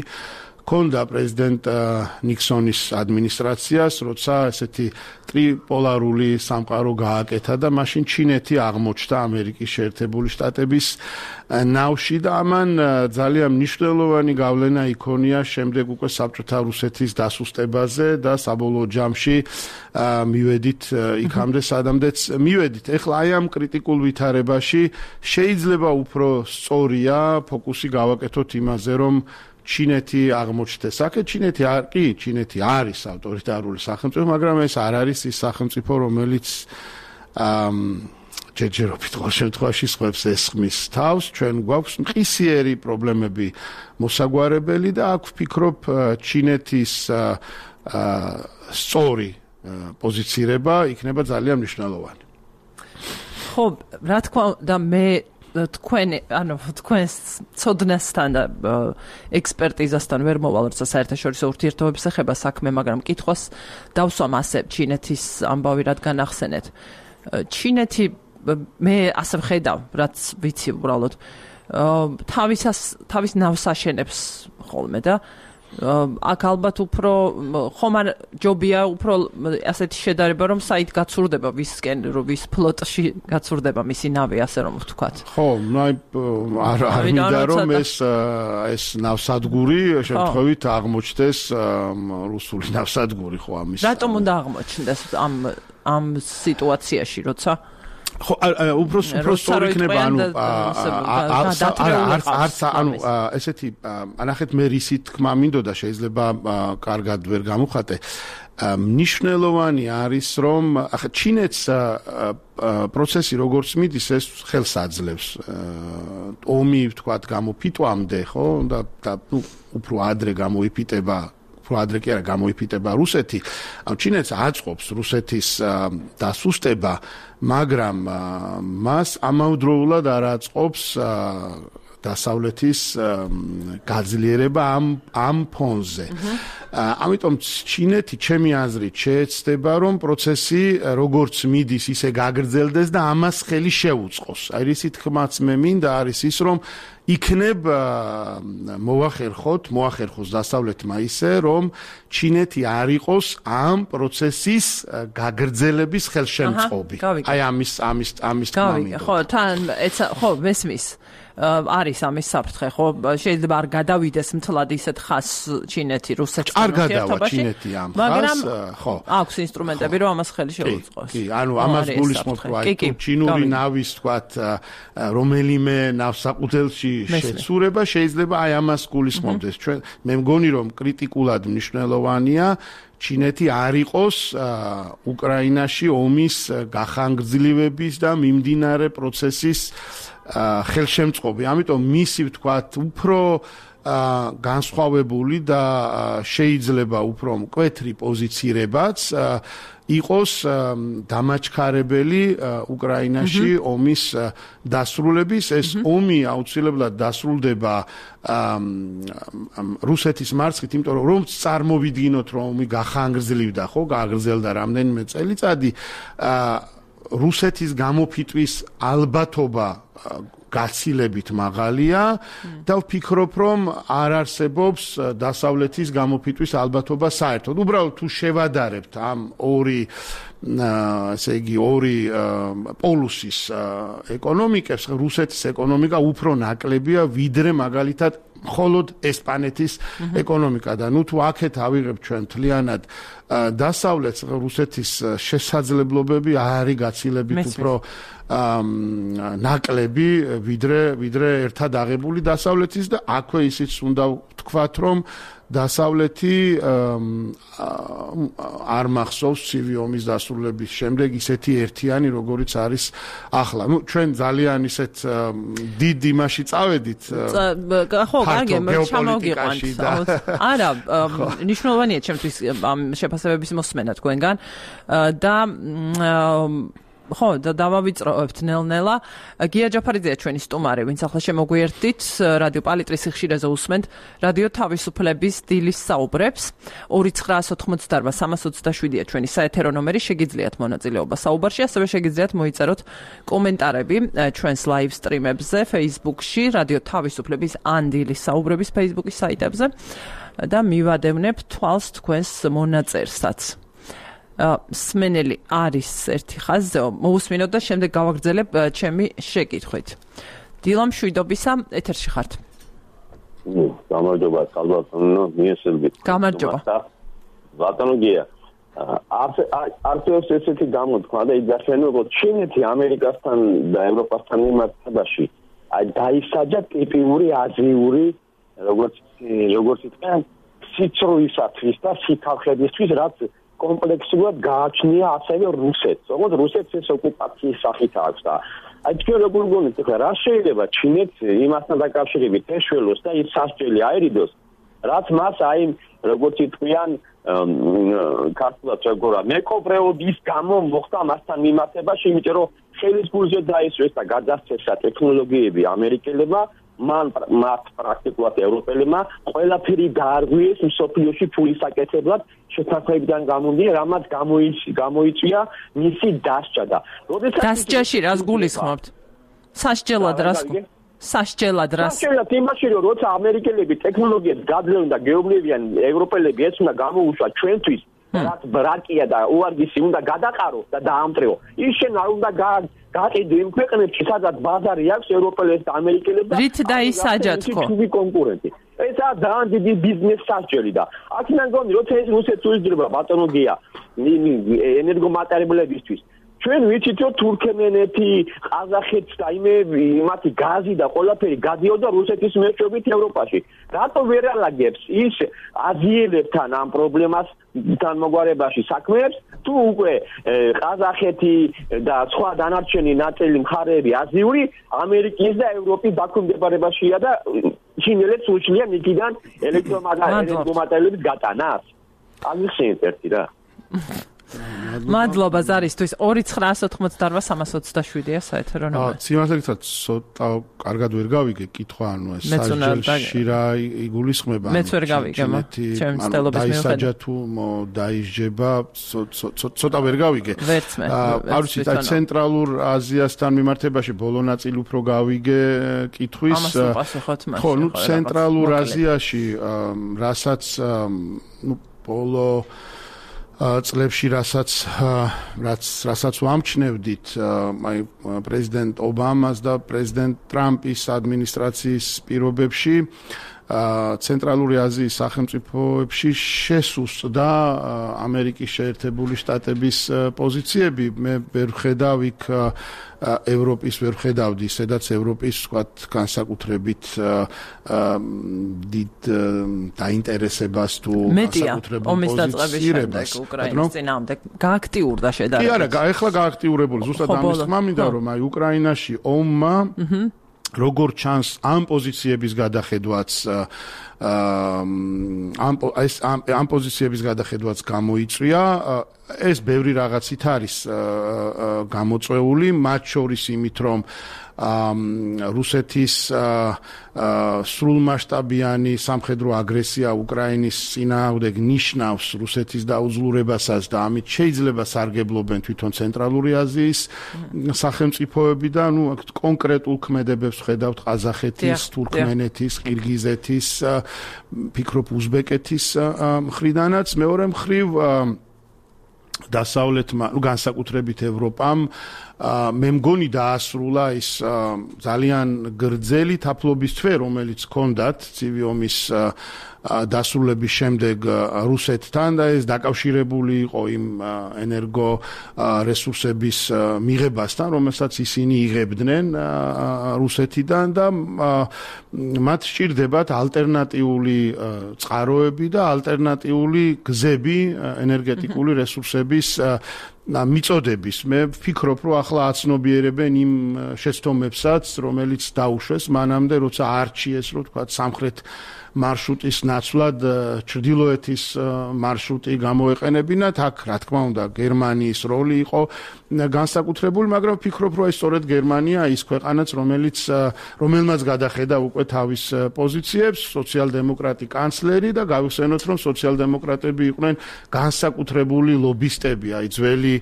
ქონდა პრეზიდენტ ნიქსონის ადმინისტრაციას, როცა ესეთი ტრიპოლარული სამყარო გააკეთა და მაშინ ჩინეთი აღმოჩნდა ამერიკის შეერთებული შტატების ნავში და ამან ძალიან მნიშვნელოვანი გავლენა იქონია შემდეგ უკვე საბჭოთა რუსეთის დასუსტებაზე და საბოლოო ჯამში მივედით იქამდე სადამდეც მივედით. ეხლა აი ამ კრიტიკულ ვითარებაში შეიძლება უფრო სწორია ფოკუსი გავაკეთოთ იმაზე, რომ ჩინეთი აღმოჩნდეს. აქ ჩინეთი არ კი, ჩინეთი არის ავტორიტარული სახელმწიფო, მაგრამ ეს არ არის ის სახელმწიფო, რომელიც ჯერჯერობით ყოველ შემთხვევაში სხვებს ესხმის თავს. ჩვენ გვაქვს მყისიერი პრობლემები მოსაგვარებელი და აქ ვფიქრობ ჩინეთის სწორი პოზიცირება იქნება ძალიან მნიშვნელოვანი. ხო, რა თქმა უნდა, მე თქვენ ანუ თქვენს ცოდნასთან და ექსპერტიზასთან ვერ მოვალ, როცა საერთაშორისო ურთიერთობებს ეხება საქმე, მაგრამ კითხვას დავსვამ ასე ჩინეთის ამბავი რადგან ახსენეთ. ჩინეთი მე ასე ვხედავ, რაც ვიცი უბრალოდ თავისას თავის ნავს აშენებს ხოლმე და აქ ალბათ უფრო ხომ არ ჯობია უფრო ასეთი შედარება რომ საით გაცურდება ვისკენ რომ ვის ფლოტში გაცურდება მისი ნავი ასე რომ ვთქვათ. ხო, ნაი არ არ მინდა რომ ეს ეს ნავსადგური შემთხვევით აღმოჩნდეს რუსული ნავსადგური ხო ამის. რატომ უნდა აღმოჩნდეს ამ ამ სიტუაციაში როცა ხო უბრალოდ უფრო სწორი იქნება ანუ არც არც ანუ ესეთი ანახეთ მე რისი თქმა მინდოდა შეიძლება კარგად ვერ გამოვხატე მნიშვნელოვანი არის რომ ახლა ჩინეთს პროცესი როგორც მიდის ეს ხელს აძლევს ომი ვთქვათ გამოფიტვამდე ხო და ნუ უფრო ადრე გამოიფიტება უფრო ადრე კი არა გამოიფიტება რუსეთი ანუ ჩინეთს აწყობს რუსეთის დასუსტება მაგრამ მას ამავდროულად არ აწყობს დასავლეთის გაძლიერება ამ ამ ფონზე. ამიტომ ჩინეთი ჩემი აზრით შეეცდება რომ პროცესი როგორც მიდის ისე გაგრძელდეს და ამას ხელი შეუწყოს. აი რისი თქმაც მე მინდა არის ის რომ იქნებ მოახერხოთ, მოახერხოს დასავლეთმა ისე რომ ჩინეთი არ იყოს ამ პროცესის გაგრძელების ხელშემწყობი. აი ამის ამის ამის თქმა მინდა. ხო, თან ეცა ხო მესმის. არის ამის საფრთხე, ხო? შეიძლება არ გადავიდეს მთლად ისეთ ხას ჩინეთი რუსეთთან ურთიერთობაში. მაგრამ ხო, აქვს ინსტრუმენტები, რომ ამას ხელი შეუწყოს. კი, ანუ ამას გულისხმობ, რომ აი ჩინური ნავის, თქვათ, რომელიმე ნავსაყუდელში შეცურება შეიძლება აი ამას გულისხმობდეს. ჩვენ მე მგონი რომ კრიტიკულად მნიშვნელოვანია ჩინეთი არ იყოს უკრაინაში ომის გახანგრძლივების და მიმდინარე პროცესის ხელშემწყობი. ამიტომ მისი ვთქვათ უფრო განსხვავებული და შეიძლება უფრო მკვეთრი პოზიცირებაც იყოს დამაჩქარებელი უკრაინაში ომის დასრულების ეს ომი აუცილებლად დასრულდება რუსეთის მარცხით იმიტომ რომ რომ წარმოვიდგინოთ რომ ომი გახანგრძლივდა ხო გაგრძელდა რამდენიმე წელიწადი რუსეთის გამოფიტვის ალბათობა გაცილებით მაღალია და ვფიქრობ რომ არ არსებობს დასავლეთის გამოფიტვის ალბათობა საერთოდ. უბრალოდ თუ შევადარებთ ამ ორი ესე იგი ორი პოლუსის ეკონომიკებს, რუსეთის ეკონომიკა უფრო ნაკლებია ვიდრე მაგალითად მხოლოდ ესპანეთის ეკონომიკა და ნუ თუ აქეთ ავიღებ ჩვენ მთლიანად დასავლეთს რუსეთის შესაძლებლობები არის გაცილებით უფრო ნაკლები ვიდრე ვიდრე ერთად აღებული დასავლეთის და აქვე ისიც უნდა ვთქვათ რომ დასავლეთი არ მახსოვს ცივი ომის დასრულების შემდეგ ისეთი ერთიანი როგორიც არის ახლა. ნუ ჩვენ ძალიან ისეთ დიდ იმაში წავედით. ხო, კარგი, ჩამოვიყვანთ. არა, ნიშნულოვანია ჩემთვის ამ შეფასებების მოსმენა თქვენგან და ხო, და დავავიწროებთ ნელ-ნელა. გია ჯაფარიძეა ჩვენი სტუმარი, ვინც ახლა შემოგვიერთდით რადიო პალიტრის სიხშირეზე უსმენთ რადიო თავისუფლების დილის საუბრებს. ორი ცხრაას ოთხმოცდაარბა სამას ოცდაშვიდია ჩვენი საეთერო ნომერი, შეგიძლიათ მონაწილეობა საუბარში, ასევე შეგიძლიათ მოიწეროთ კომენტარები ჩვენს ლაივ სტრიმებზე, Facebook-ში, რადიო თავისუფლების ან დილის საუბრების Facebook-ის საიტებზე და მივადევნებ თვალს თქვენს მონაწერსაც. სმენელი არის ერთი ხაზზე, მოусმინოთ და შემდეგ გავაგრძელებ ჩემი შეკითხვით. დილა მშვიდობისა, ეთერში ხართ. გამარჯობა, ხალბატონო, მიესალმებით. გამარჯობა. ბატონო გია. არტიოს ესეთი გამოთქვა და იგახსენო, რომ ჩინეთი ამერიკასთან და ევროპასთან მიმართებაში აი დაისაჯა ტიპიური აზიური, როგორც როგორც იტყვიან, სიცრუისათვის და სითხავხედისთვის, რაც კომპლექსურად გააჩნია ასევე რუსეთს. როგორც რუსეთს ეს ოკუპაციის სახით აქვს და აი თქვენ როგორ გონით ახლა რა შეიძლება ჩინეთს იმასთან დაკავშირებით ეშველოს და ის სასჯელი აერიდოს, რაც მას აი როგორც იტყვიან ქართულად როგორა მეკობრეობის გამო მოხდა მასთან მიმართებაში, იმიტომ რომ ხელის გულზე დაისვეს და გადასცეს ტექნოლოგიები ამერიკელებმა, მან მათ პრაქტიკულად ევროპელებმა ყველაფერი გაარღვიეს მსოფლიოში ფულის აკეთებლად შეთანხმებიდან გამომდინარე, რამაც გამოიწვია მისი დასჯა და როდესაც დასჯაში რას გულისხმობთ? სასჯელად რას სასჯელად რას? სასჯელად იმაში, რომ როცა ამერიკელები ტექნოლოგიებს გაძლევენ და გეუბნებიან ევროპელები ეს უნდა გამოუშვა ჩვენთვის, რაც ბრაკია და უარგისი უნდა გადაყარო და დაამტრეო. ის შენ არ უნდა გაყიდო იმ ქვეყნებში, სადაც ბაზარი აქვს ევროპელებს და ამერიკელებს და რით დაისაჯათ ხო? ჩვენი კონკურენტი. ესაა ძალიან დიდი ბიზნეს სასჯელი და აქედან გონი, როცა ეს რუსეთს უძრება ბატონო გია ენერგომატერიალებისთვის. ჩვენ ვიცით რომ თურქმენეთი, ყაზახეთი და იმე მათი გაზი და ყველაფერი გადიოდა რუსეთის მეშვეობით ევროპაში. რატო ვერ ალაგებს ის აზიელებთან ამ პრობლემას თანმოგვარებაში საქმეებს, თუ უკვე ყაზახეთი და სხვა დანარჩენი ნაწილი მხარეები აზიური ამერიკის და ევროპის დაქვემდებარებაშია და ჩინელებს უშლიან იქიდან ელექტრომაგნიტების გატანას. ამიხსენეთ ერთი რა. მადლობა ზარისთვის ორი ცხრა ოცდაოთხმოცდაოთხ სამას ოცდაშვიდია საეთერო ნომერი. სიმართლეა ცოტა კარგად ვერ გავიგე კითხვა, ანუ ეს სასჯელში რა იგულისხმება? მეც ვერ გავიგე, ჩემი მცდელობის მიუხედავად. დაისაჯა თუ დაისჯება, ცოტა ვერ გავიგე. ვერც მე. არ ვიცი, აი ცენტრალურ აზიასთან მიმართებაში ბოლო ნაწილი უფრო გავიგე კითხვის. ამას უპასუხოთ მას. ხო, ნუ ცენტრალურ აზიაში, რასაც ნუ ბოლო წლებში რასაც რაც რასაც ვამჩნევდით აი პრეზიდენტ ობამას და პრეზიდენტ ტრამპის ადმინისტრაციის პირობებში ცენტრალური აზიის სახელმწიფოებში შესუსტდა ამერიკის შეერთებული შტატების პოზიციები. მე ვერ ხედავ იქ ევროპის ვერ ხედავდი, სადაც ევროპის ვთქვათ განსაკუთრებით დიდ დაინტერესებას თუ განსაკუთრებულ პოზიციებს უკრაინის წინააღმდეგ გააქტიურდა შედარებით. კი არა, ეხლა გააქტიურებული. ზუსტად ამის თქმა მინდა, რომ აი უკრაინაში ომმა როგორ ჩანს ამ პოზიციების გადახედვაც ამ ეს ამ პოზიციების გადახედვაც გამოიწვია. ეს ბევრი რაღაცით არის გამოწვეული, მათ შორის იმით, რომ რუსეთის სრულმასშტაბიანი სამხედრო აგრესია უკრაინის წინააღმდეგ ნიშნავს რუსეთის დაუძლურებასაც და ამით შეიძლება სარგებლობენ თვითონ ცენტრალური აზიის სახელმწიფოები და ნუ კონკრეტულ ქმედებებს ხედავთ ყაზახეთის, თურქმენეთის, ყირგიზეთის, ფიქრობ უზბეკეთის მხრიდანაც. მეორე მხრივ დასავლეთმა, ნუ განსაკუთრებით ევროპამ მე მგონი დაასრულა ის ძალიან გრძელი თაფლობის თვე, რომელიც ჰქონდათ ცივი ომის დასრულების შემდეგ რუსეთთან და ეს დაკავშირებული იყო იმ ენერგო რესურსების მიღებასთან, რომელსაც ისინი იღებდნენ რუსეთიდან და მათ სჭირდებათ ალტერნატიული წყაროები და ალტერნატიული გზები ენერგეტიკული რესურსების მიწოდების. მე ვფიქრობ, რომ ახლა აცნობიერებენ იმ შეცდომებსაც, რომელიც დაუშვეს მანამდე, როცა არჩიეს, რომ თქვა სამხრეთ მარშრუტის ნაცვლად ჩრდილოეთის მარშრუტი გამოეყენებინათ. აქ რა თქმა უნდა გერმანიის როლი იყო განსაკუთრებული, მაგრამ ვფიქრობ, რომ ეს სწორედ გერმანია ის ქვეყანაც, რომელიც რომელმაც გადახედა უკვე თავის პოზიციებს, სოციალ-დემოკრატი კანცლერი და გავიხსენოთ, რომ სოციალ-დემოკრატები იყვნენ განსაკუთრებული ლობისტები, აი ძველი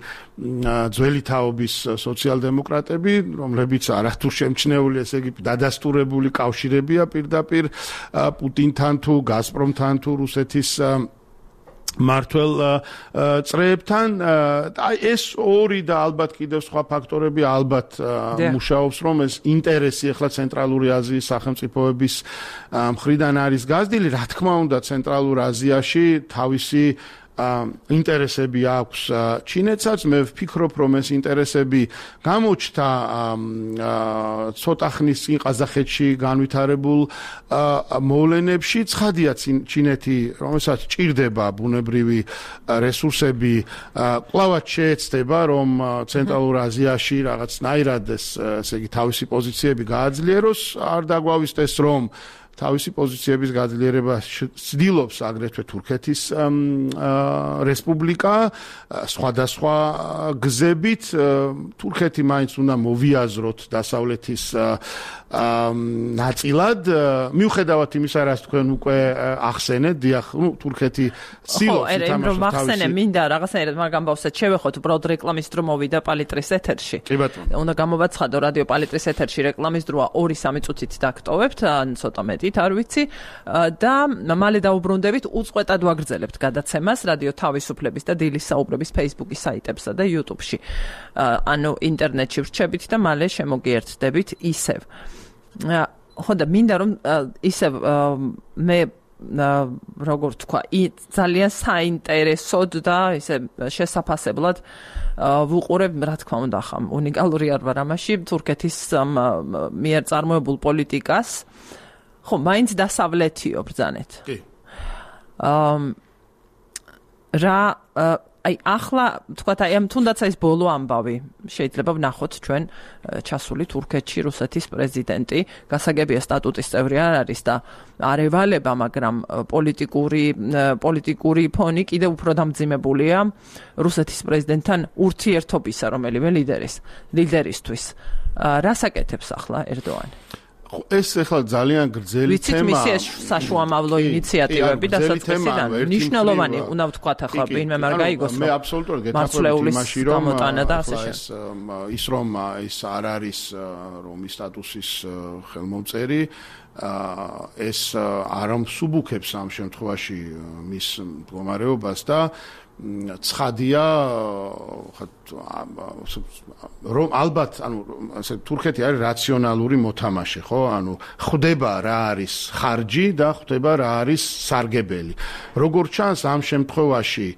ძველი თაობის სოციალ-დემოკრატები, რომლებიც არათუ შემჩნეული, ესე იგი დადასტურებული კავშირებია პირდაპირ პუტინთან თუ გაზპრომთან თუ რუსეთის მართლ წრეებთან. აი ეს ორი და ალბათ კიდევ სხვა ფაქტორები ალბათ მუშაობს, რომ ეს ინტერესი ახლა ცენტრალური აზიის სახელმწიფოების მხრიდან არის გაზრდილი. რა თქმა უნდა, ცენტრალურ აზიაში თავისი ინტერესები აქვს ჩინეთსაც. მე ვფიქრობ, რომ ეს ინტერესები გამოჩნდა ცოტა ხნის წინ ყაზახეთში განვითარებულ მოვლენებში. ცხადია ჩინეთი, რომელსაც ჭირდება ბუნებრივი რესურსები, კვლავაც შეეცდება, რომ ცენტრალურ აზიაში რაღაცნაირად ეს ესე იგი თავისი პოზიციები გააძლიეროს. არ დაგვავისდეს, რომ თავისი პოზიციების გაძლიერება ცდილობს აგრეთვე თურქეთის რესპუბლიკა სხვადასხვა გზებით თურქეთი მაინც უნდა მოვიაზროთ დასავლეთის ნაწილად მიუხედავად იმისა რაც თქვენ უკვე ახსენეთ დიახ ნუ თურქეთი ცდილობს ითამაშოს თავისი მინდა რაღაცნაირად მაგ ამბავსაც შევეხოთ უბრალოდ რეკლამის დრო მოვიდა პალიტრის ეთერში კი ბატონო უნდა გამოვაცხადო რადიო პალიტრის ეთერში რეკლამის დროა ორი სამი წუთით დაგტოვებთ ან ცოტა მეტით არ ვიცი და მალე დაუბრუნდებით უწყვეტად ვაგრძელებთ გადაცემას რადიო თავისუფლების და დილის საუბრების Facebook-ის საიტებსა და YouTube-ში ანუ ინტერნეტში ვრჩებით და მალე შემოგიერთდებით ისევ ხო და მინდა რომ ისევ მე როგორ თქვა ძალიან საინტერესოდ და ისე შესაფასებლად ვუყურებ რა თქმა უნდა ხამ უნიკალური არ ვარ ამაში თურქეთის მიერ წარმოებულ პოლიტიკას ხო მაინც დასავლეთიო ბრძანეთ კი რა აი ახლა თქვათ აი ამ თუნდაც ეს ბოლო ამბავი შეიძლება ვნახოთ ჩვენ ჩასული თურქეთში რუსეთის პრეზიდენტი გასაგებია სტატუტის წევრი არ არის და არ ევალება მაგრამ პოლიტიკური პოლიტიკური ფონი კიდევ უფრო დამძიმებულია რუსეთის პრეზიდენტთან ურთიერთობისა რომელიმე ლიდერის ლიდერისთვის რას აკეთებს ახლა ერდოანი ეს ახლა ძალიან გრძელი თემაა. ვიცით მისი საშუამავლო ინიციატივები და საწყისიდან მნიშვნელოვანი უნდა ვთქვათ ახლა ვინმე არ გაიგოს მე აბსოლუტურად გეთახმებით იმაში რომ ეს ის რომ ის არ არის რომ ის სტატუსის ხელმომწერი ეს არ ამსუბუქებს ამ შემთხვევაში მის მდგომარეობას და ცხადია რომ ალბათ ანუ ასე თურქეთი არის რაციონალური მოთამაშე ხო ანუ ხვდება რა არის ხარჯი და ხვდება რა არის სარგებელი როგორ ჩანს ამ შემთხვევაში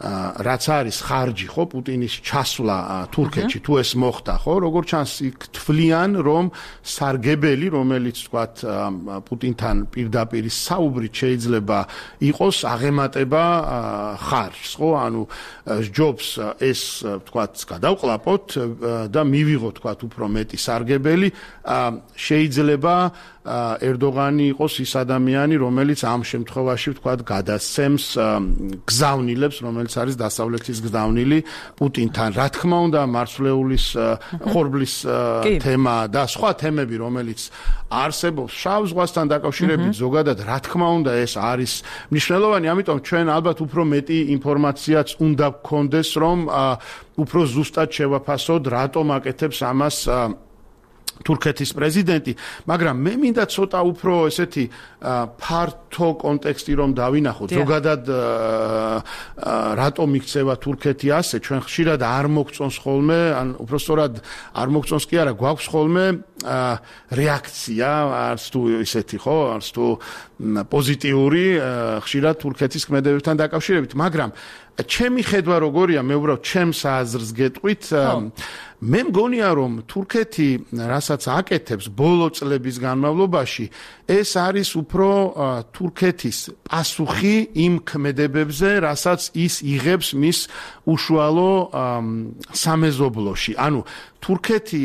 რაც არის ხარჯი ხო პუტინის ჩასვლა თურქეთში თუ ეს მოხდა ხო როგორ ჩანს იქ თვლიან რომ სარგებელი რომელიც თქვათ პუტინთან პირდაპირ საუბრით შეიძლება იყოს აღემატება ხარჯს ხო ანუ ჯობს ეს თქვათ გადავყლაპოთ და მივიღოთ თქვათ უფრო მეტი სარგებელი შეიძლება ერდოღანი იყოს ის ადამიანი რომელიც ამ შემთხვევაში ვთქვათ გადასცემს გზავნილებს რომელიც არის დასავლეთის გზავნილი პუტინთან რა თქმა უნდა მარცვლეულის ხორბლის თემა და სხვა თემები რომელიც არსებობს შავ ზღვასთან დაკავშირებით ზოგადად რა თქმა უნდა ეს არის მნიშვნელოვანი ამიტომ ჩვენ ალბათ უფრო მეტი ინფორმაციაც უნდა გქონდეს რომ უფრო ზუსტად შევაფასოთ რატომ აკეთებს ამას თურქეთის პრეზიდენტი, მაგრამ მე მინდა ცოტა უფრო ესეთი ფართო კონტექსტი რომ დავინახოთ. ზოგადად რატომ იქცევა თურქეთი ასე, ჩვენ ხშირად არ მოგწონს ხოლმე, ან უბრალოდ არ მოგწონს კი არა, გვაქვს ხოლმე რეაქცია, არც თუ ისეთი ხო, არც თუ პოზიტიური ხშირად თურქეთის ქმედებებთან დაკავშირებით, მაგრამ ჩემი ხედვა როგორია, მე უბრალოდ ჩემს აზრს გეტყვით, მე მგონია რომ თურქეთი რასაც აკეთებს ბოლო წლების განმავლობაში, ეს არის უფრო თურქეთის პასუხი იმ ქმედებებზე, რასაც ის იღებს მის უშუალო სამეზობლოში. ანუ თურქეთი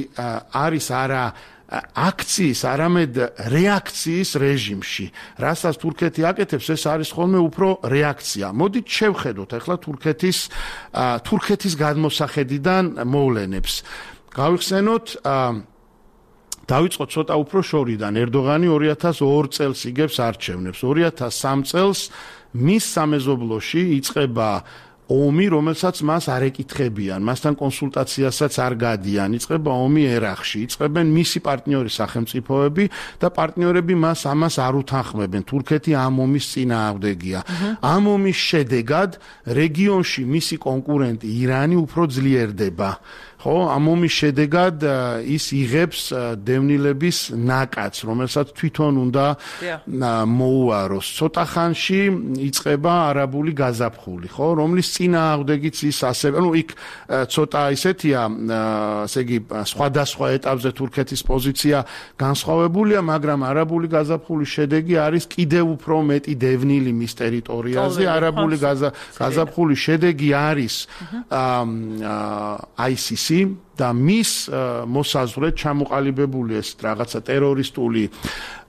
არის არა აქციის, არამედ რეაქციის რეჟიმში. რასაც თურქეთი აკეთებს, ეს არის ხოლმე უფრო რეაქცია. მოდით შევხედოთ ახლა თურქეთის თურქეთის გადმოსახედიდან მოვლენებს. გავიხსენოთ დავიწყოთ ცოტა უფრო შორიდან. ერდოღანი ორი ათას ორი წელს იგებს არჩევნებს. ორი ათას სამი წელს მის სამეზობლოში იწყება ომი, რომელსაც მას არ ეკითხებიან, მასთან კონსულტაციასაც არ გადიან, იწყება ომი ერაყში, იწყებენ მისი პარტნიორი სახელმწიფოები და პარტნიორები მას ამას არ უთანხმებენ. თურქეთი ამ ომის წინააღმდეგია. ამ ომის შედეგად რეგიონში მისი კონკურენტი ირანი უფრო ძლიერდება. ხო, ამ ომის შედეგად ის იღებს დევნილების ნაკადს, რომელსაც თვითონ უნდა მოუაროს. ცოტა ხანში იწყება არაბული გაზაფხული, ხო, რომლის წინააღმდეგიც ის ასევე, ну, იქ ცოტა ისეთია, ასე იგი, სხვადასხვა ეტაპზე თურქეთის პოზიცია განსხვავებულია, მაგრამ არაბული გაზაფხულის შედეგი არის კიდევ უფრო მეტი დევნილი მის ტერიტორიაზე. არაბული გაზაფხულის შედეგი არის აი სი სი და მის მოსაზღვრედ ჩამოყალიბებული ეს რაღაცა ტერორისტული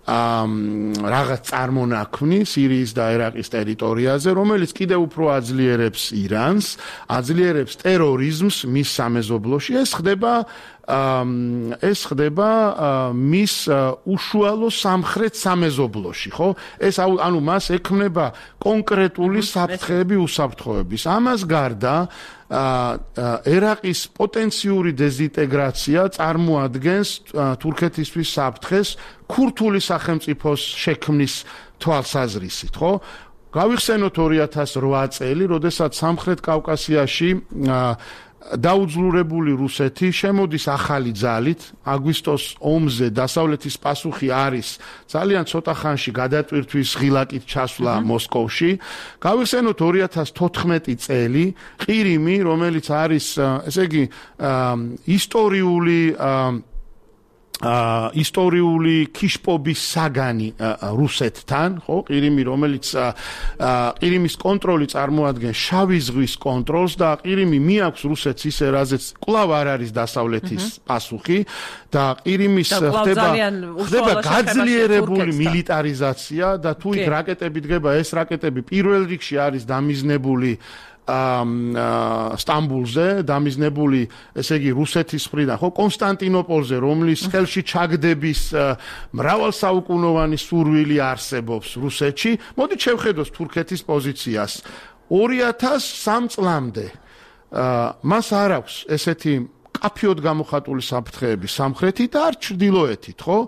რაღაც წარმონაქმნი სირიის და ერაყის ტერიტორიაზე, რომელიც კიდევ უფრო აძლიერებს ირანს, აძლიერებს ტერორიზმს მის სამეზობლოში. ეს ხდება ეს ხდება მის უშუალო სამხრეთ სამეზობლოში, ხო? ეს ანუ მას ექმნება კონკრეტული საფრთხეები უსაფრთხოების. ამას გარდა ერაყის პოტენციური დეზინტეგრაცია წარმოადგენს თურქეთისთვის საფრთხეს ქურთული სახელმწიფოს შექმნის თვალსაზრისით, ხო? გავიხსენოთ ორი ათას რვა წელი, როდესაც სამხრეთ კავკასიაში დაუძლურებული რუსეთი შემოდის ახალი ძალით, აგვისტოს ომზე დასავლეთის პასუხი არის ძალიან ცოტა ხანში გადატვირთვის ღილაკით ჩასვლა მოსკოვში. გავიხსენოთ ორი ათას თოთხმეტი წელი, ყირიმი, რომელიც არის, ესე იგი, ისტორიული აა ისტორიული ქიშპობის საგანი რუსეთთან, ხო, ყირიმი, რომელიც ყირიმის კონტროლი წარმოადგენს შავი ზღვის კონტროლს და ყირიმი მიაქვს რუსეთს ისე, რაზეც კვლავ არ არის დასავლეთის პასუხი და ყირიმის ხდება ხდება გაძლიერებული მილიტარიზაცია და თუ იქ რაკეტები დგება, ეს რაკეტები პირველ რიგში არის დამიზნებული სტამბულზე, დამიზნებული, ესე იგი, რუსეთის მხრიდან, ხო, კონსტანტინოპოლზე, რომლის ხელში ჩაგდების მრავალსაუკუნოვანი სურვილი არსებობს რუსეთში. მოდით შევხედოთ თურქეთის პოზიციას. ორი ათას სამ წლამდე მას არ აქვს ესეთი კაფიოდ გამოხატული საფრთხეები სამხრეთით და არ ჩრდილოეთით, ხო?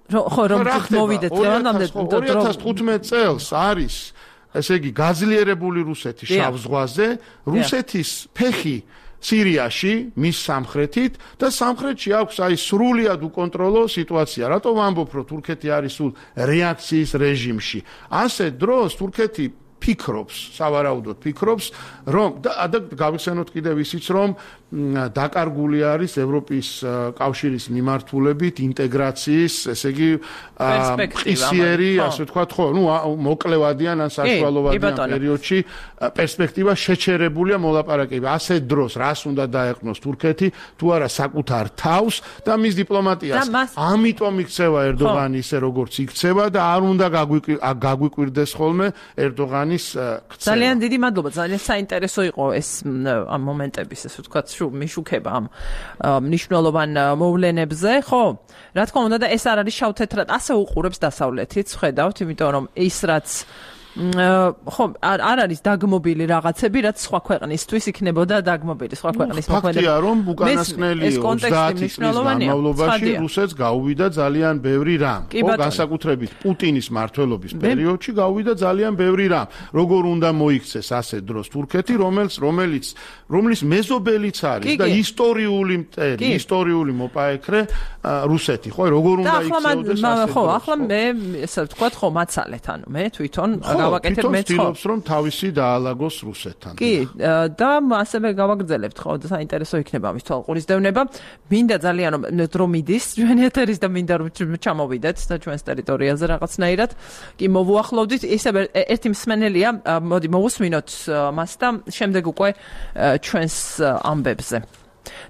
ხო, რომ მოვიდეთ ლევანდამდე ორი ათას თხუთმეტ წელს არის ესე იგი გაძლიერებული რუსეთი შავ ზღვაზე, რუსეთის ფეხი სირიაში, მის სამხრეთით და სამხრეთში აქვს აი სრულიად უკონტროლო სიტუაცია. რატო ვამბობ, რომ თურქეთი არის სულ რეაქციის რეჟიმში? ასე დროს თურქეთი ფიქრობს, სავარაუდოდ ფიქრობს, რომ და გავიხსენოთ კიდევ ისიც, რომ დაკარგული არის ევროპის კავშირის მიმართულებით ინტეგრაციის, ესე იგი, ყისიერი, ასე ვთქვათ, ხო, ნუ მოკლევადიან ან საშუალოვადიან პერიოდში პერსპექტივა შეჩერებულია მოლაპარაკება. ასე დროს რას უნდა დაეყნოს თურქეთი, თუ არა საკუთარ თავს და მის დიპლომატიას. ამიტომ იქცევა ერდოღანი ისე, როგორც იქცევა და არ უნდა გაგვიკვირდეს ხოლმე ერდოღანის ქცევა. ძალიან დიდი მადლობა, ძალიან საინტერესო იყო ეს ამ მომენტების, ასე ვთქვათ, მიშუქება ამ მნიშვნელოვან მოვლენებზე, ხო? რა თქმა უნდა და ეს არ არის შავ-თეთრად, ასე უყურებს დასავლეთიც, ხედავთ, იმიტომ რომ ის რაც ხო, არ არის დაგმობილი რაღაცები, რაც სხვა ქვეყნისთვის იქნებოდა დაგმობილი, სხვა ქვეყნის მოქმედება. ფაქტია, რომ უკანასკნელი ოცდაათი წლის განმავლობაში რუსეთს გაუვიდა ძალიან ბევრი რამ. ხო, განსაკუთრებით პუტინის მმართველობის პერიოდში გაუვიდა ძალიან ბევრი რამ. როგორ უნდა მოიქცეს ასე დროს თურქეთი, რომელიც რომელიც რომლის მეზობელიც არის და ისტორიული მტერი, ისტორიული მოპაექრე რუსეთი, ხო, როგორ უნდა იქცეოდეს ასე. ხო, ახლა მე ესე ვთქვათ, ხო, მაცალეთ, ანუ მე თვითონ გავაკეთებ მე ცდილობს რომ თავისი დაალაგოს რუსეთთან. კი, და ასევე გავაგრძელებთ, ხო, საინტერესო იქნება ამის თვალყურის დევნება. მინდა ძალიან რომ მიდის ჩვენი ეთერის და მინდა რომ ჩამოვიდეთ და ჩვენს ტერიტორიაზე რაღაცნაირად. კი, მოვუახლოვდით, ისე ერთი მსმენელია, მოდი მოვუსმინოთ მას და შემდეგ უკვე ჩვენს ამბებზე.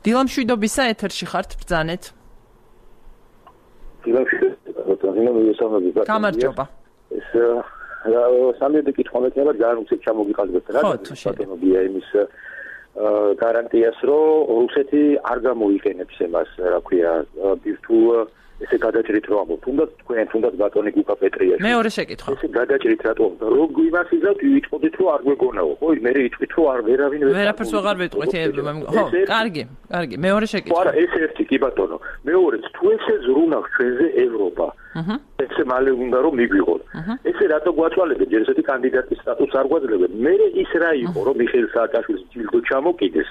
დილამშვიდობისა ეთერში ხართ, ბრძანეთ. დილამშვიდობისა, გამარჯობა. ეს სამი კითხვა მექნება ძალიან უცებ ჩამოგიყალიბებთ რა ბატონობია იმის გარანტიას რომ რუსეთი არ გამოიყენებს εμას რა ქვია ბირთუ ესე გადაჭრით რომ ამბობ თუნდაც თქვენ თუნდაც ბატონი გუკა პეტრიაში მეორე შეკითხვა ესე გადაჭრით რატომ რომ იმას იზავთ იტყოდით რომ არ გვეგონაო ხო მე იტყვით რომ არ ვერავინ ვერაფერს ვეღარ ვიტყვით ხო კარგი კარგი მეორე შეკითხვა ხო არა ეს ერთი კი ბატონო მეორეც თუ ესე ზრუნავს ჩვენზე ევროპა აჰა ესე მალე უნდა რომ მიგვიღოთ ესე რატო გვაწვალებენ ჯერ ესეთი კანდიდატის სტატუსს არ გვაძლევენ მე ის რა იყო რომ მიხეილ სააკაშვილის ჯილდო ჩამოკიდეს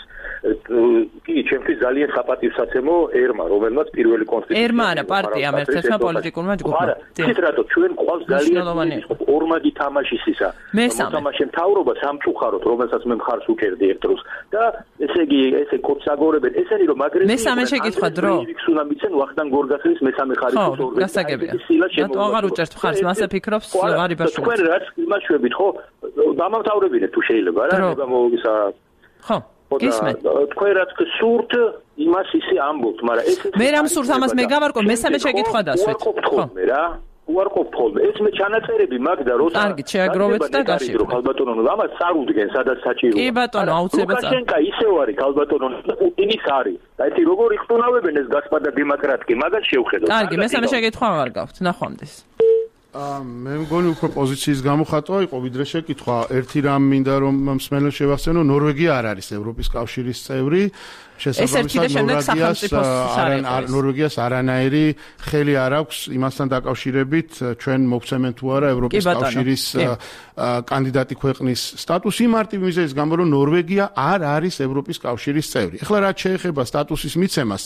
კი ჩემთვის ძალიან საპატივსაცემო ერმა რომელმაც პირველი კონსტიტუცია ერმა არა პარტიამ ერთ-ერთმა პოლიტიკურმა ჯგუფმა არა ის რატო ჩვენ ყავს ძალიან ორმაგი თამაშის ისა თამაშე მთავრობა სამწუხაროდ რომელსაც მე მხარს უჭერდი ერთ დროს და ესე იგი ესე კოცაგორებენ ესენი რომ მაგრე მესამე შეკითხვა დრო იქს უნდა მიცენ ვახტანგ გორგასლის მესამე ხარისხის ორგანო გასაგებია რატო აღარ უჭერთ მხარს მასე ფიქრობს ღარიბაშვილი თქვენ რაც იმაშვებით ხო დამამთავრებინეთ თუ შეიძლება რა ნება მოგისა ხო გისმენთ თქვენ რაც გსურთ იმას ისე ამბობთ მაგრამ ეს მე რამ სურთ ამას მე გავარკვევ მესამე შეკითხვა დასვით ხო მე რა უარყოფ ხოლმე. ეს მე ჩანაწერები მაგ და როცა კარგი, შეაგროვეთ და გაშიფრეთ. ქალბატონო, ამას არ უდგენ, სადაც საჭირო. კი ბატონო, აუცილებლად. ლუკაშენკა ისევ არის ქალბატონო, პუტინის არის. და ეს როგორ იხტუნავებენ ეს გასპადა დემოკრატკი, მაგას შევხედოთ. კარგი, მესამე შეკითხვა არ გავთ, ნახვამდის. მე მგონი უფრო პოზიციის გამოხატვა იყო ვიდრე შეკითხვა. ერთი რამ მინდა რომ მსმენელს შევახსენო, ნორვეგია არ არის ევროპის კავშირის წევრი. შესაბამისად ნორვეგიას ნორვეგიას არანაირი ხელი არ აქვს იმასთან დაკავშირებით ჩვენ მოგცემენ თუ არა ევროპის კავშირის კანდიდატი ქვეყნის სტატუსი მარტივ მიზეზის გამო რომ ნორვეგია არ არის ევროპის კავშირის წევრი. ეხლა რაც შეეხება სტატუსის მიცემას,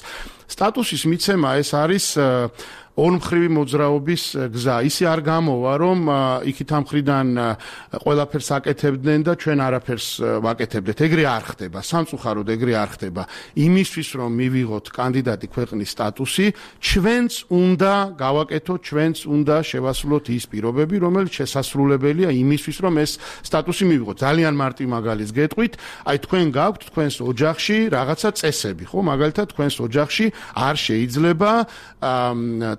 სტატუსის მიცემა ეს არის ორმხრივი მოძრაობის გზა. ისე არ გამოვა, რომ იქით ამ მხრიდან ყველაფერს აკეთებდნენ და ჩვენ არაფერს ვაკეთებდეთ. ეგრე არ ხდება, სამწუხაროდ ეგრე არ ხდება. იმისთვის რომ მივიღოთ კანდიდატი ქვეყნის სტატუსი, ჩვენც უნდა გავაკეთოთ, ჩვენც უნდა შევასრულოთ ის პირობები, რომელიც შესასრულებელია იმისთვის, რომ ეს სტატუსი მივიღოთ. ძალიან მარტივ მაგალითს გეტყვით, აი თქვენ გაქვთ თქვენს ოჯახში რაღაცა წესები, ხო? მაგალითად, თქვენს ოჯახში არ შეიძლება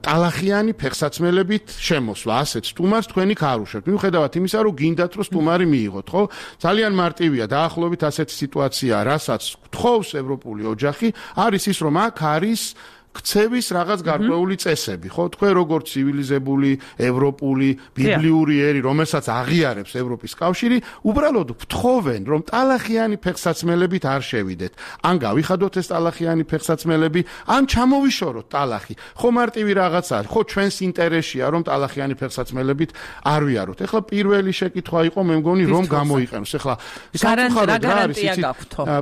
ტალახიანი ფეხსაცმელებით შემოსვლა, ასეთ სტუმარს თქვენი ქარუშებთ. მიუხედავად იმისა, რომ გინდათ რომ სტუმარი მიიღოთ, ხო? ძალიან მარტივია, დაახლოებით ასეთი სიტუაცია, რასაც გთხოვს ევროპული ოჯახი, არის ის, რომ აქ არის ქცევის რაღაც გარკვეული წესები, ხო? თქვენ როგორც ცივილიზებული, ევროპული, ბიბლიური ერი, რომელსაც აღიარებს ევროპის კავშირი, უბრალოდ გთხოვენ, რომ ტალახიანი ფეხსაცმელებით არ შევიდეთ. ან გავიხადოთ ეს ტალახიანი ფეხსაცმელები, ან ჩამოვიშოროთ ტალახი. ხო მარტივი რაღაც არის, ხო ჩვენს ინტერესია, რომ ტალახიანი ფეხსაცმელებით არ ვიაროთ. ეხლა პირველი შეკითხვა იყო, მე მგონი, რომ გამოიყენოს. ეხლა სამწუხაროდ რა არის იცით,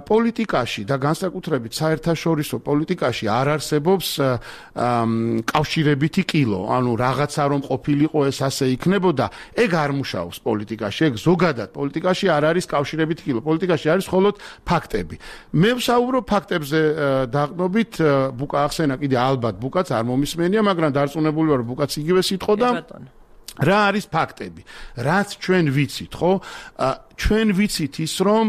პოლიტიკაში და განსაკუთრებით საერთაშორისო პოლიტიკაში არ არსებობს კავშირებითი კილო, ანუ რაღაცა რომ ყოფილიყო ეს ასე იქნებოდა, ეგ არ მუშაობს პოლიტიკაში, ეგ ზოგადად პოლიტიკაში არ არის კავშირებითი კილო, პოლიტიკაში არის მხოლოდ ფაქტები. მე ვსაუბრობ ფაქტებზე დაყნობით, ბუკა ახსენა კიდე ალბათ ბუკაც არ მომისმენია, მაგრამ დარწმუნებული ვარ, ბუკაც იგივე სიტყოდა. რა არის ფაქტები? რაც ჩვენ ვიცით, ხო? ჩვენ ვიცით ის, რომ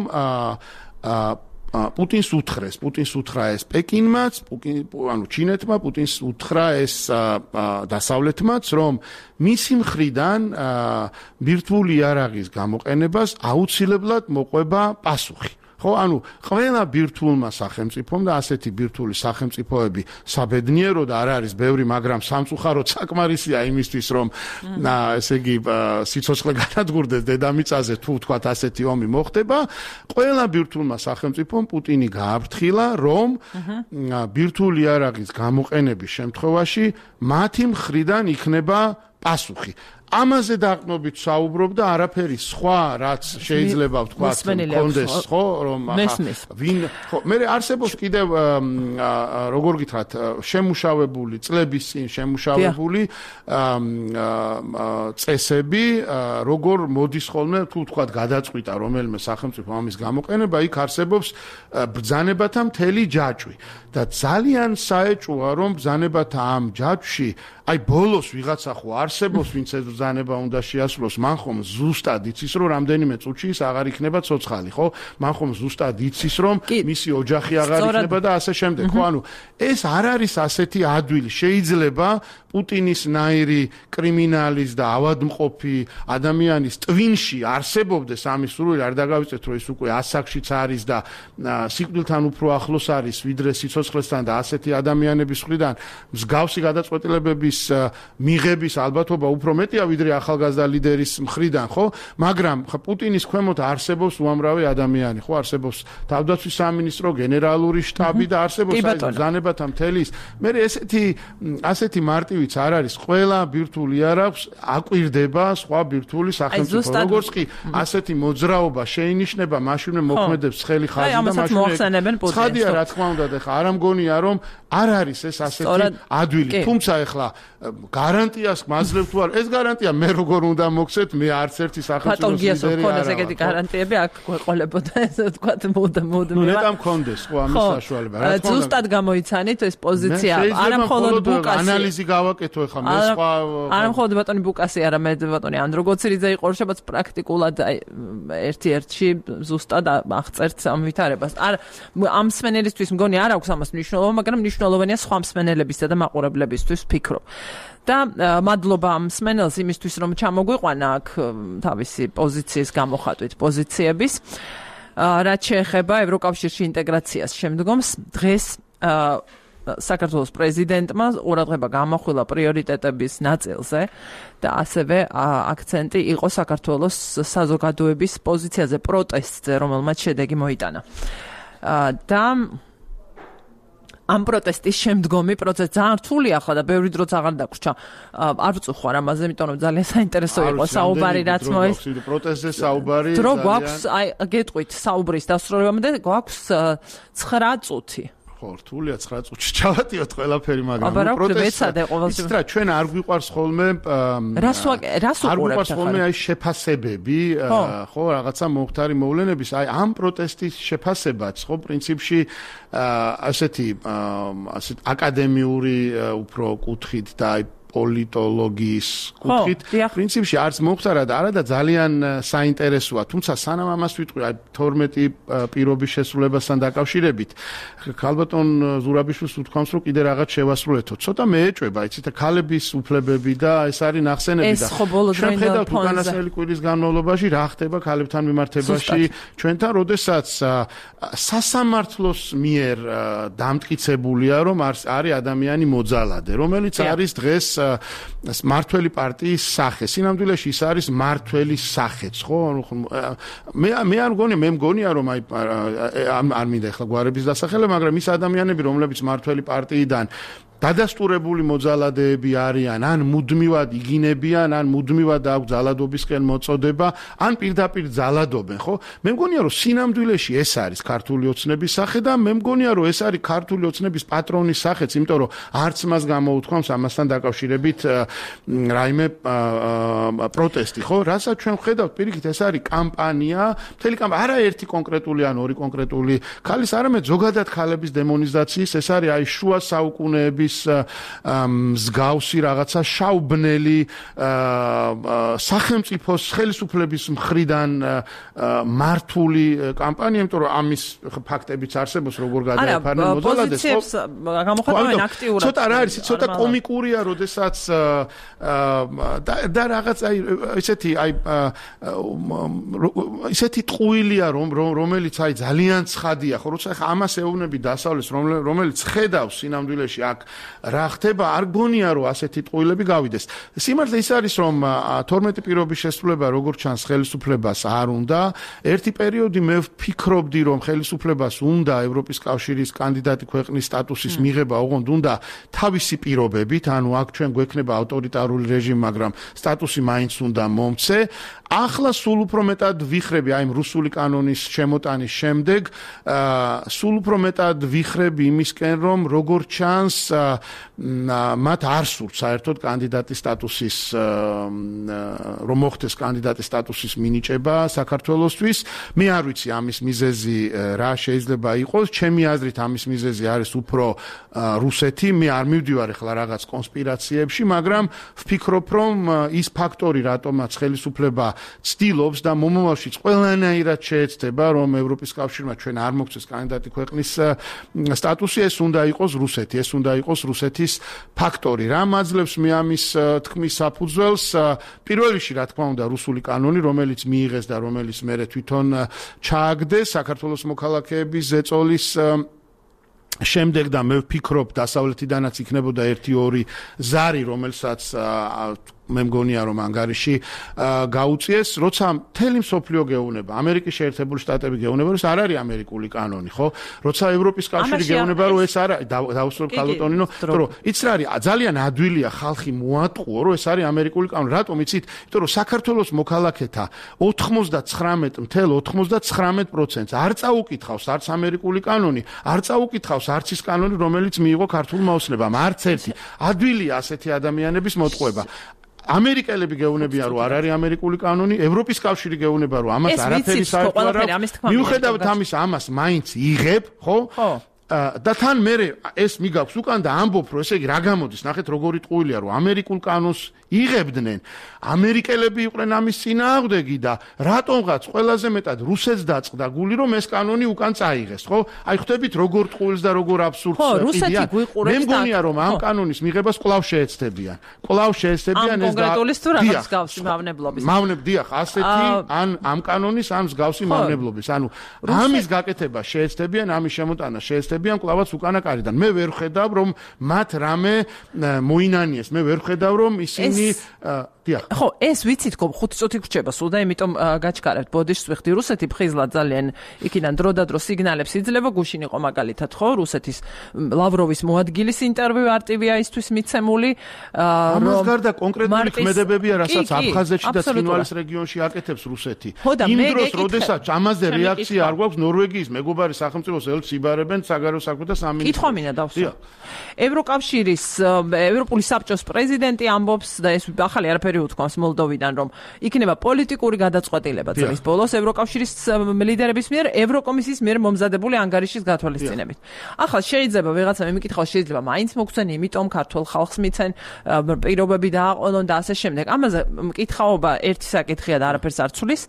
პუტინს უთხრეს, პუტინს უთხრა ეს პეკინმაც, ანუ ჩინეთმა, პუტინს უთხრა ეს დასავლეთმაც, რომ მისი მხრიდან ბირთვული იარაღის გამოყენებას აუცილებლად მოყვება პასუხი. ხო, ანუ ყველა ბირთვულმა სახელმწიფომ და ასეთი ბირთვული სახელმწიფოები საბედნიერო და არ არის ბევრი, მაგრამ სამწუხაროდ საკმარისია იმისთვის, რომ ესე იგი სიცოცხლე განადგურდეს დედამიწაზე, თუ ვთქვათ ასეთი ომი მოხდება, ყველა ბირთვულმა სახელმწიფომ პუტინი გააფრთხილა, რომ ბირთვული იარაღის გამოყენების შემთხვევაში მათი მხრიდან იქნება პასუხი. ამაზე დაყნობით საუბრობ და არაფერი სხვა, რაც შეიძლება ვთქვათ, კონდეს, ხო, რომ ვინ, ხო, მე არსებობს კიდევ როგორ გითხრათ, შემუშავებული წლების წინ შემუშავებული წესები, როგორ მოდის ხოლმე, თუ ვთქვათ, გადაწყვიტა რომელიმე სახელმწიფო ამის გამოყენება, იქ არსებობს ბრძანებათა მთელი ჯაჭვი და ძალიან საეჭვოა, რომ ბრძანებათა ამ ჯაჭვში აი ბოლოს ვიღაცა ხო არსებობს, ვინც ეს ბრძანება უნდა შეასრულოს, მან ხომ ზუსტად იცის, რომ რამდენიმე წუთში ის აღარ იქნება ცოცხალი, ხო? მან ხომ ზუსტად იცის, რომ მისი ოჯახი აღარ იქნება და ასე შემდეგ, ხო? ანუ ეს არ არის ასეთი ადვილი. შეიძლება პუტინის ნაირი კრიმინალის და ავადმყოფი ადამიანის ტვინში არსებობდეს ამის სურვილი, არ დაგავიწეთ, რომ ის უკვე ასაკშიც არის და სიკვდილთან უფრო ახლოს არის, ვიდრე სიცოცხლესთან და ასეთი ადამიანების მხრიდან მსგავსი გადაწყვეტილებების მიღების ალბათობა უფრო მეტია ვიდრე ახალგაზრდა ლიდერის მხრიდან, ხო? მაგრამ პუტინის ქვემოთ არსებობს უამრავი ადამიანი, ხო? არსებობს თავდაცვის სამინისტრო, გენერალური შტაბი და არსებობს ბრძანებათა მთელი ის. მე ესეთი ასეთი მარტივიც არ არის, ყველა ბირთვული არ აქვს, აკვირდება სხვა ბირთვული სახელმწიფო. როგორც კი ასეთი მოძრაობა შეინიშნება, მაშინვე მოქმედებს ცხელი ხაზი და მაშინვე ცხადია, რა თქმა უნდა, ეხლა არ ამგონია, რომ არ არის ეს ასეთი ადვილი. თუმცა ეხლა გარანტიას მაძლევ თუ არ, ეს გარანტია მე როგორ უნდა მოგცეთ, მე არც ერთი სახელმწიფოს ლიდერი არ არის. ეგეთი გარანტიები აქ გვეყოლებოდა, ესე ვთქვათ, მოდა მოდა. ნუ ნეტა მქონდეს ხო ამის საშუალება. რა თქმა უნდა. ზუსტად გამოიცანით ეს პოზიცია. არა მხოლოდ ბუკასი. ანალიზი გავაკეთო ეხლა მე სხვა. არა მხოლოდ ბატონი ბუკასი, არამედ ბატონი ანდროგოცირიძე იყო რშებაც პრაქტიკულად ერთ-ერთში ზუსტად აღწერთ ამ ვითარებას. არ ამ მსმენელისთვის მგონი არ აქვს ამას მნიშვნელობა, მაგრამ მნიშვნელოვანია სხვა მსმენელებისა და მაყურებლებისთვის ვფიქრობ. და მადლობა მსმენელს იმისთვის რომ ჩამოგვიყვანა აქ თავისი პოზიციის გამოხატვით პოზიციების რაც შეეხება ევროკავშირში ინტეგრაციას შემდგომს დღეს საქართველოს პრეზიდენტმა ყურადღება გამახვილა პრიორიტეტების ნაწილზე და ასევე აქცენტი იყო საქართველოს საზოგადოების პოზიციაზე პროტესტზე რომელმაც შედეგი მოიტანა და ამ პროტესტის შემდგომი პროცესი ძალიან რთულია ხო და ბევრი დროც აღარ დაგვრჩა. არ ვწუხარ ამაზე, იმიტომ რომ ძალიან საინტერესო იყო საუბარი რაც მოეს. პროტესტზე საუბარი ძალიან. დრო გვაქვს, აი გეტყვით საუბრის დასრულებამდე გვაქვს ცხრა წუთი. ხო, რთულია ცხრა წუთში ჩავატიოთ ყველაფერი, მაგრამ პროტესტი რა ჩვენ არ გვიყვარს ხოლმე რას რას არ გვიყვარს ხოლმე აი შეფასებები, ხო, რაღაცა მომხდარი მოვლენების, აი ამ პროტესტის შეფასებაც, ხო, პრინციპში ასეთი ასეთ აკადემიური უფრო კუთხით და აი პოლიტოლოგიის კუთხით პრინციპში არც მომხდარა და არა და ძალიან საინტერესოა, თუმცა სანამ ამას ვიტყვი, აი თორმეტი პირობის შესრულებასთან დაკავშირებით, ქალბატონ ზურაბიშვილს ვთქვამს, რომ კიდე რაღაც შევასრულეთო. ცოტა მეეჭვება, იცით, ქალების უფლებები და ეს არის ნახსენები და ჩვენ ხედავთ უკანასკნელი კვირის განმავლობაში რა ხდება ქალებთან მიმართებაში ჩვენთან, როდესაც სასამართლოს მიერ დამტკიცებულია, რომ არის ადამიანი მოძალადე, რომელიც არის დღეს მართველი პარტიის სახე. სინამდვილეში ის არის მართველის სახეც, ხო? მე მე არ მგონია, მე მგონია რომ აი არ მინდა ახლა გვარების დასახელება, მაგრამ ის ადამიანები, რომლებიც მართველი პარტიიდან დადასტურებული მოძალადეები არიან, ან მუდმივად იგინებიან, ან მუდმივად აქვს ძალადობისკენ მოწოდება, ან პირდაპირ ძალადობენ, ხო? მე მგონია, რომ სინამდვილეში ეს არის ქართული ოცნების სახე და მე მგონია, რომ ეს არის ქართული ოცნების პატრონის სახეც, იმიტომ რომ არც მას გამოუთქვამს ამასთან დაკავშირებით რაიმე პროტესტი, ხო? რასაც ჩვენ ვხედავთ, პირიქით, ეს არის კამპანია, მთელი კამპანია, არა ერთი კონკრეტული ან ორი კონკრეტული ქალის, არამედ ზოგადად ქალების დემონიზაციის, ეს არის აი შუა საუკუნეების მსგავსი რაღაცა შაუბნელი სახელმწიფოს ხელისუფლების მხრიდან მართული კამპანია, იმიტომ რომ ამის ფაქტებიც არსებობს, როგორ გადაეფარნენ მოძალადეს, ხო? გამოხატავენ აქტიურად. ცოტა რა არის, ცოტა კომიკურია, როდესაც და რაღაც აი ესეთი აი ესეთი ტყუილია, რომ რომელიც აი ძალიან ცხადია, ხო, როცა ხა ამას ეუბნები დასავლეთს, რომელიც ხედავს სინამდვილეში აქ რა ხდება, არ გონია რომ ასეთი ტყუილები გავიდეს. სიმართლე ის არის რომ თორმეტი პირობის შესრულება როგორც ჩანს ხელისუფლებას არ უნდა. ერთი პერიოდი მე ვფიქრობდი რომ ხელისუფლებას უნდა ევროპის კავშირის კანდიდატი ქვეყნის სტატუსის მიღება, ოღონდ უნდა თავისი პირობებით, ანუ აქ ჩვენ გვექნება ავტორიტარული რეჟიმი, მაგრამ სტატუსი მაინც უნდა მომცე. ახლა სულ უფრო მეტად ვიხრები აი რუსული კანონის შემოტანის შემდეგ, სულ უფრო მეტად ვიხრები იმისკენ რომ როგორ ჩანს მათ არ სურთ საერთოდ კანდიდატის სტატუსის რომ მოხდეს კანდიდატის სტატუსის მინიჭება საქართველოსთვის. მე არ ვიცი ამის მიზეზი რა შეიძლება იყოს, ჩემი აზრით ამის მიზეზი არის უფრო რუსეთი. მე არ მივდივარ ახლა რაღაც კონსპირაციებში, მაგრამ ვფიქრობ რომ ის ფაქტორი რატომაც ხელისუფლება ცდილობს და მომავალშიც ყველანაირად შეეცდება რომ ევროპის კავშირმა ჩვენ არ მოგცეს კანდიდატი ქვეყნის სტატუსი, ეს უნდა იყოს რუსეთი, ეს უნდა იყოს რუსეთის ფაქტორი. რა მაძლევს მე ამის თქმის საფუძველს? პირველ რიგში რა თქმა უნდა რუსული კანონი, რომელიც მიიღეს და რომელიც მერე თვითონ ჩააგდეს საქართველოს მოქალაქეების ზეწოლის შემდეგ და მე ვფიქრობ დასავლეთიდანაც იქნებოდა ერთი ორი ზარი, რომელსაც მე მგონია რომ ანგარიში გაუწიეს, როცა მთელი მსოფლიო გეუბნება, ამერიკის შეერთებული შტატები გეუბნება, რომ ეს არ არის ამერიკული კანონი, ხო? როცა ევროპის კავშირი გეუბნება, რომ ეს არ არის, დავუსრულებ ქალბატონინო, რომ იცი რა არის, ძალიან ადვილია ხალხი მოატყუო, რომ ეს არის ამერიკული კანონი. რატომ იცით? იმიტომ რომ საქართველოს მოქალაქეთა ოცდათვრამეტ ათეულ ოცდათვრამეტ პროცენტს არ წაუკითხავს არც ამერიკული კანონი, არ წაუკითხავს არც ის კანონი, რომელიც მიიღო ქართულმა ოცნებამ, არც ერთი. ადვილია ასეთი ადამიანების მოტყუება. ამერიკელები გეუბნებიან რომ არ არის ამერიკული კანონი, ევროპის კავშირი გეუბნება რომ ამას არაფერი საერთო არ აქვს. მიუხედავად ამის ამას მაინც იღებ, ხო? ხო. და თან მე ეს მიგაქვს უკან და ამბობ რომ ესე იგი რა გამოდის, ნახეთ როგორი ტყუილია რომ ამერიკულ კანონს იღებდნენ ამერიკელები იყვნენ ამის წინააღმდეგი და რატომღაც ყველაზე მეტად რუსეთს დაწყდა გული რომ ეს კანონი უკან წაიღეს ხო აი ხვდებით როგორ ტყუილს და როგორ აბსურდს ყიდიან მე მგონია რომ ამ კანონის მიღებას კვლავ შეეცდებიან კვლავ შეეცდებიან ეს და კონკრეტულის თუ რაღაც მსგავსი მავნებლობის მავნებ დიახ ასეთი ან ამ კანონის ან მსგავსი მავნებლობის ანუ ამის გაკეთება შეეცდებიან ამის შემოტანა შეეცდებიან კვლავაც უკანაკარიდან მე ვერ ხედავ რომ მათ რამე მოინანიეს მე ვერ ხედავ რომ ისინი ხო ეს ვიცით ხო ხუთი წუთი გრჩება სულ და იმიტომ გაჩქარებთ ბოდიშს ვიხდი რუსეთი ფხიზლად ძალიან იქიდან დრო და დრო სიგნალებს იძლევა გუშინ იყო მაგალითად ხო რუსეთის ლავროვის მოადგილის ინტერვიუ არტივიაისთვის მიცემული ამას გარდა კონკრეტული ქმედებებია რასაც აფხაზეთში და ცხინვალის რეგიონში აკეთებს რუსეთი იმ დროს როდესაც ამაზე რეაქცია არ გვაქვს ნორვეგიის მეგობარი სახელმწიფოს ელს იბარებენ საგარეო საქმეთა სამინისტრო კითხვა მინდა დავსვა ევროკავშირის ევროპული საბჭოს პრეზიდენტი ამბობს და ეს ახალი არაფერი უთქვამს მოლდოვიდან რომ იქნება პოლიტიკური გადაწყვეტილება წლის ბოლოს ევროკავშირის ლიდერების მიერ ევროკომისიის მიერ მომზადებული ანგარიშის გათვალისწინებით. ახლა შეიძლება ვიღაცა მეკითხავს შეიძლება მაინც მოგცენ იმიტომ ქართულ ხალხს მიცენ პირობები დააყოლონ და ასე შემდეგ. ამაზე მკითხაობა ერთი საკითხია და არაფერს არ ცulis.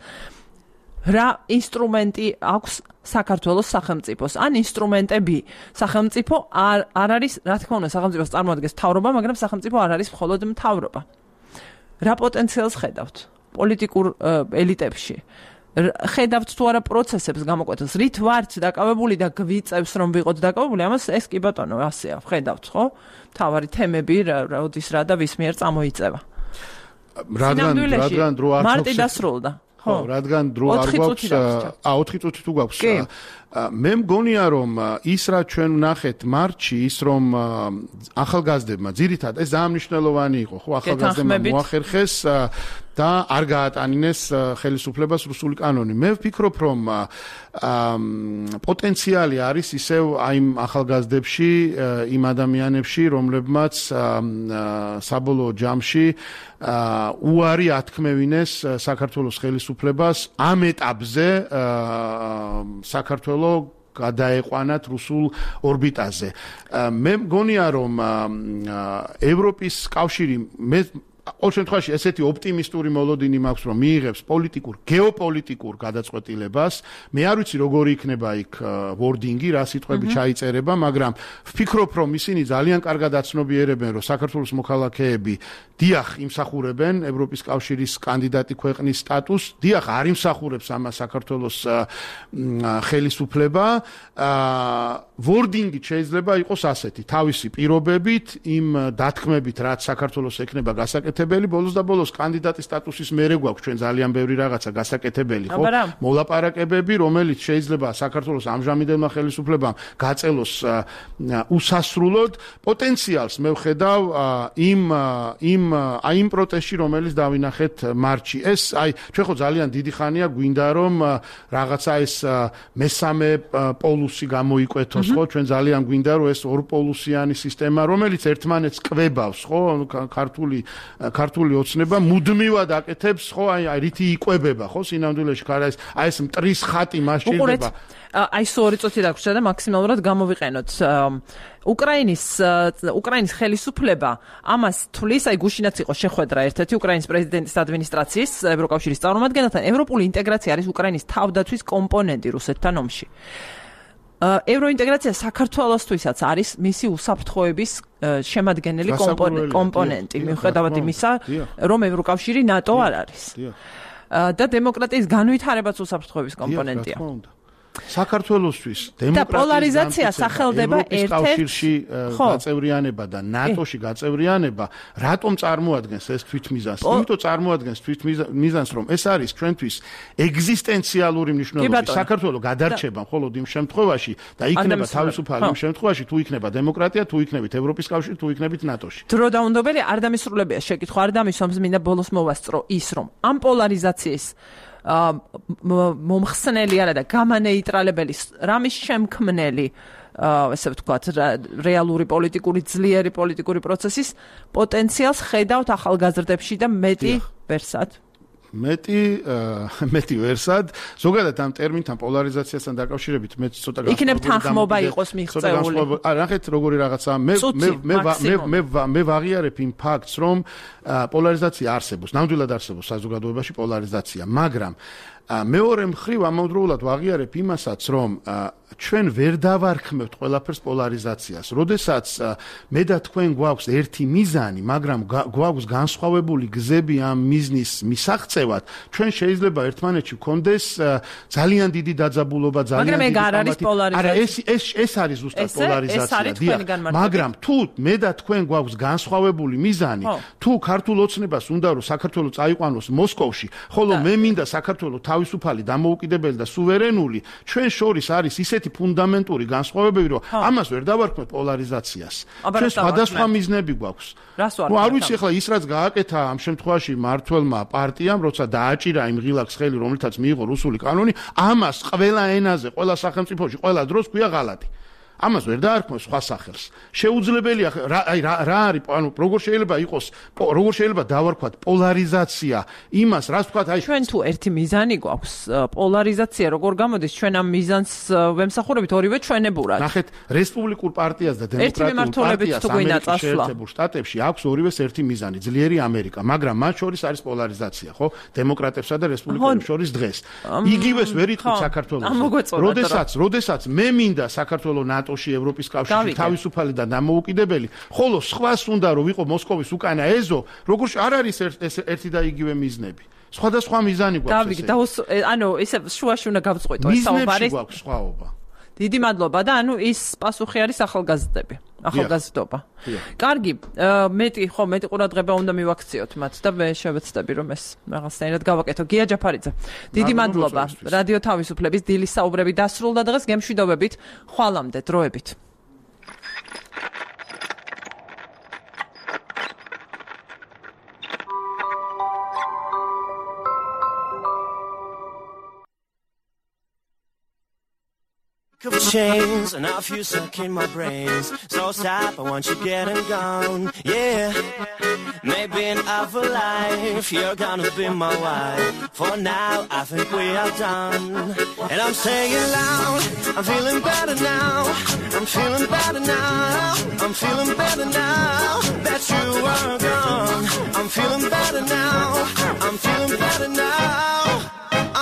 რა ინსტრუმენტი აქვს საქართველოს სახელმწიფოს ან ინსტრუმენტები სახელმწიფო არ არ არის რა თქმა უნდა სახელმწიფოს წარმოადგენს მთავრობა მაგრამ სახელმწიფო არ არის მხოლოდ მთავრობა. რა პოტენციალს ხედავთ პოლიტიკურ ელიტებში ხედავთ თუ არა პროცესებს გამოკვეთილს რით ვართ დაკავებული და გვიწევს რომ ვიყოთ დაკავებული ამას ეს კი ბატონო ასეა ხედავთ ხო თავარი თემები როდის რა და ვის მიერ წამოიწევა რადგან რადგან დრო არ მარტი დასრულდა ხო რადგან დრო არ გვაქვს ა ოთხი წუთი თუ გვაქვს მე მგონია რომ ის რა ჩვენ ვნახეთ მარტში ის რომ ახალგაზრდებმა ძირითადად ეს ძალიან მნიშვნელოვანი იყო ხო ახალგაზრდებმა მოახერხეს და არ გაატანინეს ხელისუფლებას რუსული კანონი მე ვფიქრობ რომ პოტენციალი არის ისევ აი ახალგაზრდებში იმ ადამიანებში რომლებმაც საბოლოო ჯამში უარი ათქმევინეს საქართველოს ხელისუფლებას ამ ეტაპზე საქართველოს გადაეყვანათ რუსულ ორბიტაზე. მე მგონია რომ ევროპის კავშირი მე ყოველ შემთხვევაში ესეთი ოპტიმისტური მოლოდინი მაქვს რომ მიიღებს პოლიტიკურ გეოპოლიტიკურ გადაწყვეტილებას მე არ ვიცი როგორი იქნება იქ ვორდინგი რა სიტყვები ჩაიწერება მაგრამ ვფიქრობ რომ ისინი ძალიან კარგად აცნობიერებენ რომ საქართველოს მოქალაქეები დიახ იმსახურებენ ევროპის კავშირის კანდიდატი ქვეყნის სტატუსს დიახ არ იმსახურებს ამას საქართველოს ხელისუფლება ვორდინგი შეიძლება იყოს ასეთი თავისი პირობებით იმ დათქმებით რაც საქართველოს ექნება გასაკეთებელი ბოლოს და ბოლოს კანდიდატის სტატუსის მერე გვაქვს ჩვენ ძალიან ბევრი რაღაცა გასაკეთებელი ხო მოლაპარაკებები რომელიც შეიძლება საქართველოს ამჟამინდელმა ხელისუფლებამ გაწელოს უსასრულოდ პოტენციალს მე ვხედავ იმ იმ აი იმ პროტესტში რომელიც დავინახეთ მარტში ეს აი ჩვენ ხო ძალიან დიდი ხანია გვინდა რომ რაღაცა ეს მესამე პოლუსი გამოიკვეთოს ხო ჩვენ ძალიან გვინდა რომ ეს ორპოლუსიანი სისტემა რომელიც ერთმანეთს კვებავს ხო ქართული ქართული ოცნება მუდმივად აკეთებს ხო აი რითი იკვებება ხო სინამდვილეში ხარ ეს აი ეს მტრის ხატი მას შეიძლება აი სწორი წუთი დაგვრჩა და მაქსიმალურად გამოვიყენოთ უკრაინის უკრაინის ხელისუფლება ამას თulis აი გუშინაც იყო შეხვედრა ერთ-ერთი უკრაინის პრეზიდენტის ადმინისტრაციის ევროკავშირის წარმომადგენელთან ევროპული ინტეგრაცია არის უკრაინის თავდაცვის კომპონენტი რუსეთთან ომში ევროინტეგრაცია საქართველოსთვისაც არის მისი უსაფრთხოების შემადგენელი კომპონენტი მიუხედავად იმისა რომ ევროკავშირი ნატო არ არის და დემოკრატიის განვითარებაც უსაფრთხოების კომპონენტია საქართველოსთვის დემოკრატიზაცია სახელდება ერთ-ერთ კავშირში გაწევრიანება და ნატოში გაწევრიანება რატომ წარმოადგენს ეს თვითმიზანს? იმიტომ წარმოადგენს თვითმიზანს რომ ეს არის ჩვენთვის ეგზისტენციალური მნიშვნელობის საქართველოს გადარჩება მხოლოდ იმ შემთხვევაში და იქნება თავისუფალი იმ შემთხვევაში თუ იქნება დემოკრატია თუ იქნებით ევროპის კავშირი თუ იქნებით ნატოში. დრო დაუნდობელი არ დამისრულებია შეკითხვა არ დამისვამს მინდა ბოლოს მოვასწრო ის რომ ამ პოლარიზაციის მომხსნელი არა და გამანეიტრალებელი რამის შემქმნელი ესე ვთქვათ რეალური პოლიტიკური ძლიერი პოლიტიკური პროცესის პოტენციალს ხედავთ ახალგაზრდებში და მეტი ვერსად მეტი მეტი ვერსად ზოგადად ამ ტერმინთან პოლარიზაციასთან დაკავშირებით მე ცოტა განსხვავებული იქნებ თანხმობა იყოს მიღწეული. არა, ნახეთ როგორი რაღაცაა. მე მე მე მე მე ვაღიარებ იმ ფაქტს, რომ პოლარიზაცია არსებობს, ნამდვილად არსებობს საზოგადოებაში პოლარიზაცია, მაგრამ მეორე მხრივ ამავდროულად ვაღიარებ იმასაც, რომ ჩვენ ვერ დავარქმევთ ყველაფერს პოლარიზაციას. როდესაც მე და თქვენ გვაქვს ერთი მიზანი, მაგრამ გვაქვს განსხვავებული გზები ამ მიზნის მისაღწევად, ჩვენ შეიძლება ერთმანეთში ვქონდეს ძალიან დიდი დაძაბულობა, ძალიან მაგრამ ეგ არ არის პოლარიზაცია. არა, ეს ეს ეს არის ზუსტად პოლარიზაცია. მაგრამ თუ მე და თქვენ გვაქვს განსხვავებული მიზანი, თუ ქართულ ოცნებას უნდა რომ საქართველო წაიყვანოს მოსკოვში, ხოლო მე მინდა საქართველო თავისუფალი, დამოუკიდებელი და სუვერენული, ჩვენ შორის არის ისეთი ფუნდამენტური განსხვავებები, რომ ამას ვერ დავარქმევთ პოლარიზაციას. ჩვენ სხვადასხვა მიზნები გვაქვს. ნუ არ ვიცი ახლა ის რაც გააკეთა ამ შემთხვევაში მართველმა პარტიამ, როცა დააჭირა იმ ღილაკს ხელი, რომელთაც მიიღო რუსული კანონი, ამას ყველა ენაზე, ყველა სახელმწიფოში, ყველა დროს ქვია ღალატი. ამას ვერ დაარქმევს სხვა სახელს. შეუძლებელია აი რა რა არის, ანუ როგორ შეიძლება იყოს, როგორ შეიძლება დავარქვათ პოლარიზაცია იმას, რაც თქვათ, აი ჩვენ თუ ერთი მიზანი გვაქვს, პოლარიზაცია როგორ გამოდის, ჩვენ ამ მიზანს ვემსახურებით ორივე ჩვენებურად. ნახეთ, რესპუბლიკურ პარტიას და დემოკრატიულ პარტიას ამერიკის შეერთებულ შტატებში აქვს ორივეს ერთი მიზანი, ძლიერი ამერიკა, მაგრამ მათ შორის არის პოლარიზაცია, ხო? დემოკრატებსა და რესპუბლიკელებს შორის დღეს. იგივეს ვერ იტყვით საქართველოს. როდესაც, როდესაც მე მინდა საქართველოს ნატოში, ევროპის კავშირში თავისუფალი და დამოუკიდებელი, ხოლო სხვას უნდა რომ ვიყო მოსკოვის უკანა ეზო, როგორ არ არის ერთი და იგივე მიზნები. სხვადასხვა მიზანი გვაქვს. დავიგე, ანუ ესე შუაში უნდა გავწყვეტო ეს საუბარი. მიზნებში გვაქვს სხვაობა. დიდი მადლობა და ანუ ის პასუხი არის ახალგაზრდები. ახალგაზრდობა. კარგი, მეტი ხო, მეტი ყურადღება უნდა მივაქციოთ მათ და მე შევეცდები რომ ეს რაღაცნაირად გავაკეთო. გია ჯაფარიძე. დიდი მადლობა. რადიო თავისუფლების დილის საუბრები დასრულდა დღეს გემშვიდობებით. ხვალამდე დროებით. Of chains and a few stuck in my brains. So stop, I want you getting gone. Yeah, maybe in other life you're gonna be my wife. For now, I think we are done. And I'm saying loud, I'm feeling better now. I'm feeling better now. I'm feeling better now that you are gone. I'm feeling better now. I'm feeling better now.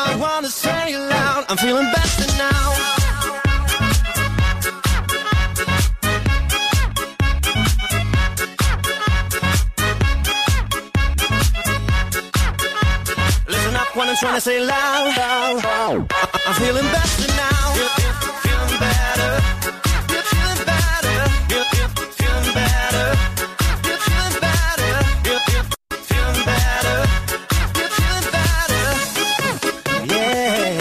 I wanna say it loud. I'm feeling better now. When I'm trying to say loud, loud, loud. I'm feeling better now. Feeling better. You're feeling better. You're feeling better. You're feeling better. You're feeling better. You're feeling better. Yeah.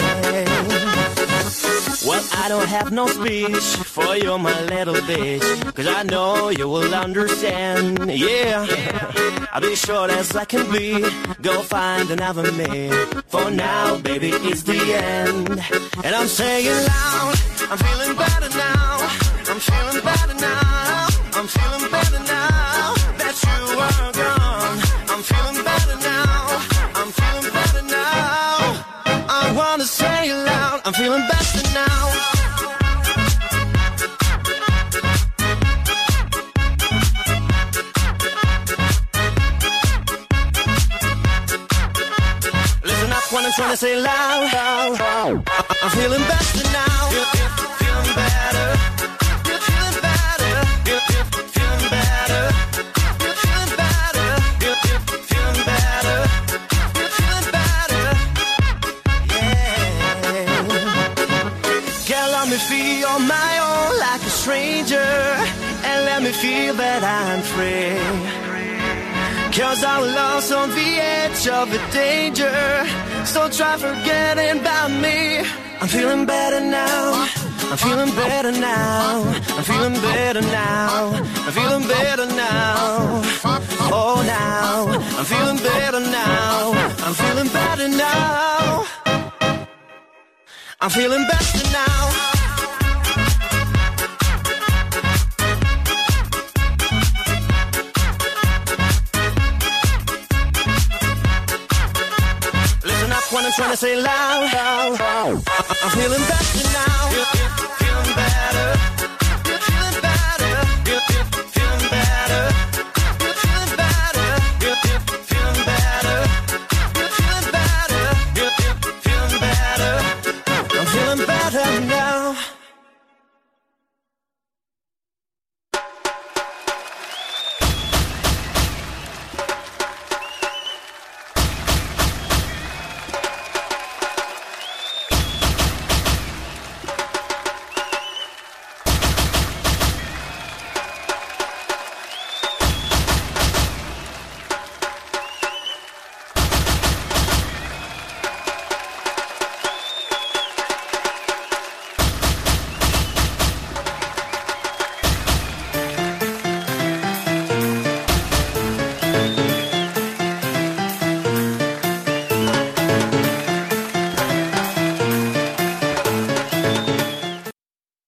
Well, I don't have no speech for you, my little bitch, 'cause I know you will understand. Yeah. I'll be short as I can be. Go find another man. For now, baby, it's the end. And I'm saying loud, I'm feeling better now. I'm feeling better now. I'm feeling better now that you are gone. I'm feeling better now. I'm feeling better now. I wanna say it loud. I'm feeling better now. When I'm trying to say loud, loud, loud. I'm feeling better now. You're feeling better. You're feeling better. You're feeling better. You're feeling better. You're feeling better. You're feeling better. Yeah. Girl, let me feel on my own like a stranger, and let me feel that I'm free. 'Cause I'm lost on the edge of the danger. So try forgetting about me. I'm feeling better now. I'm feeling better now. I'm feeling better now. I'm feeling better now. Oh, now. I'm feeling better now. I'm feeling better now. I'm feeling better now. trying to say loud, loud. I'm feeling better now.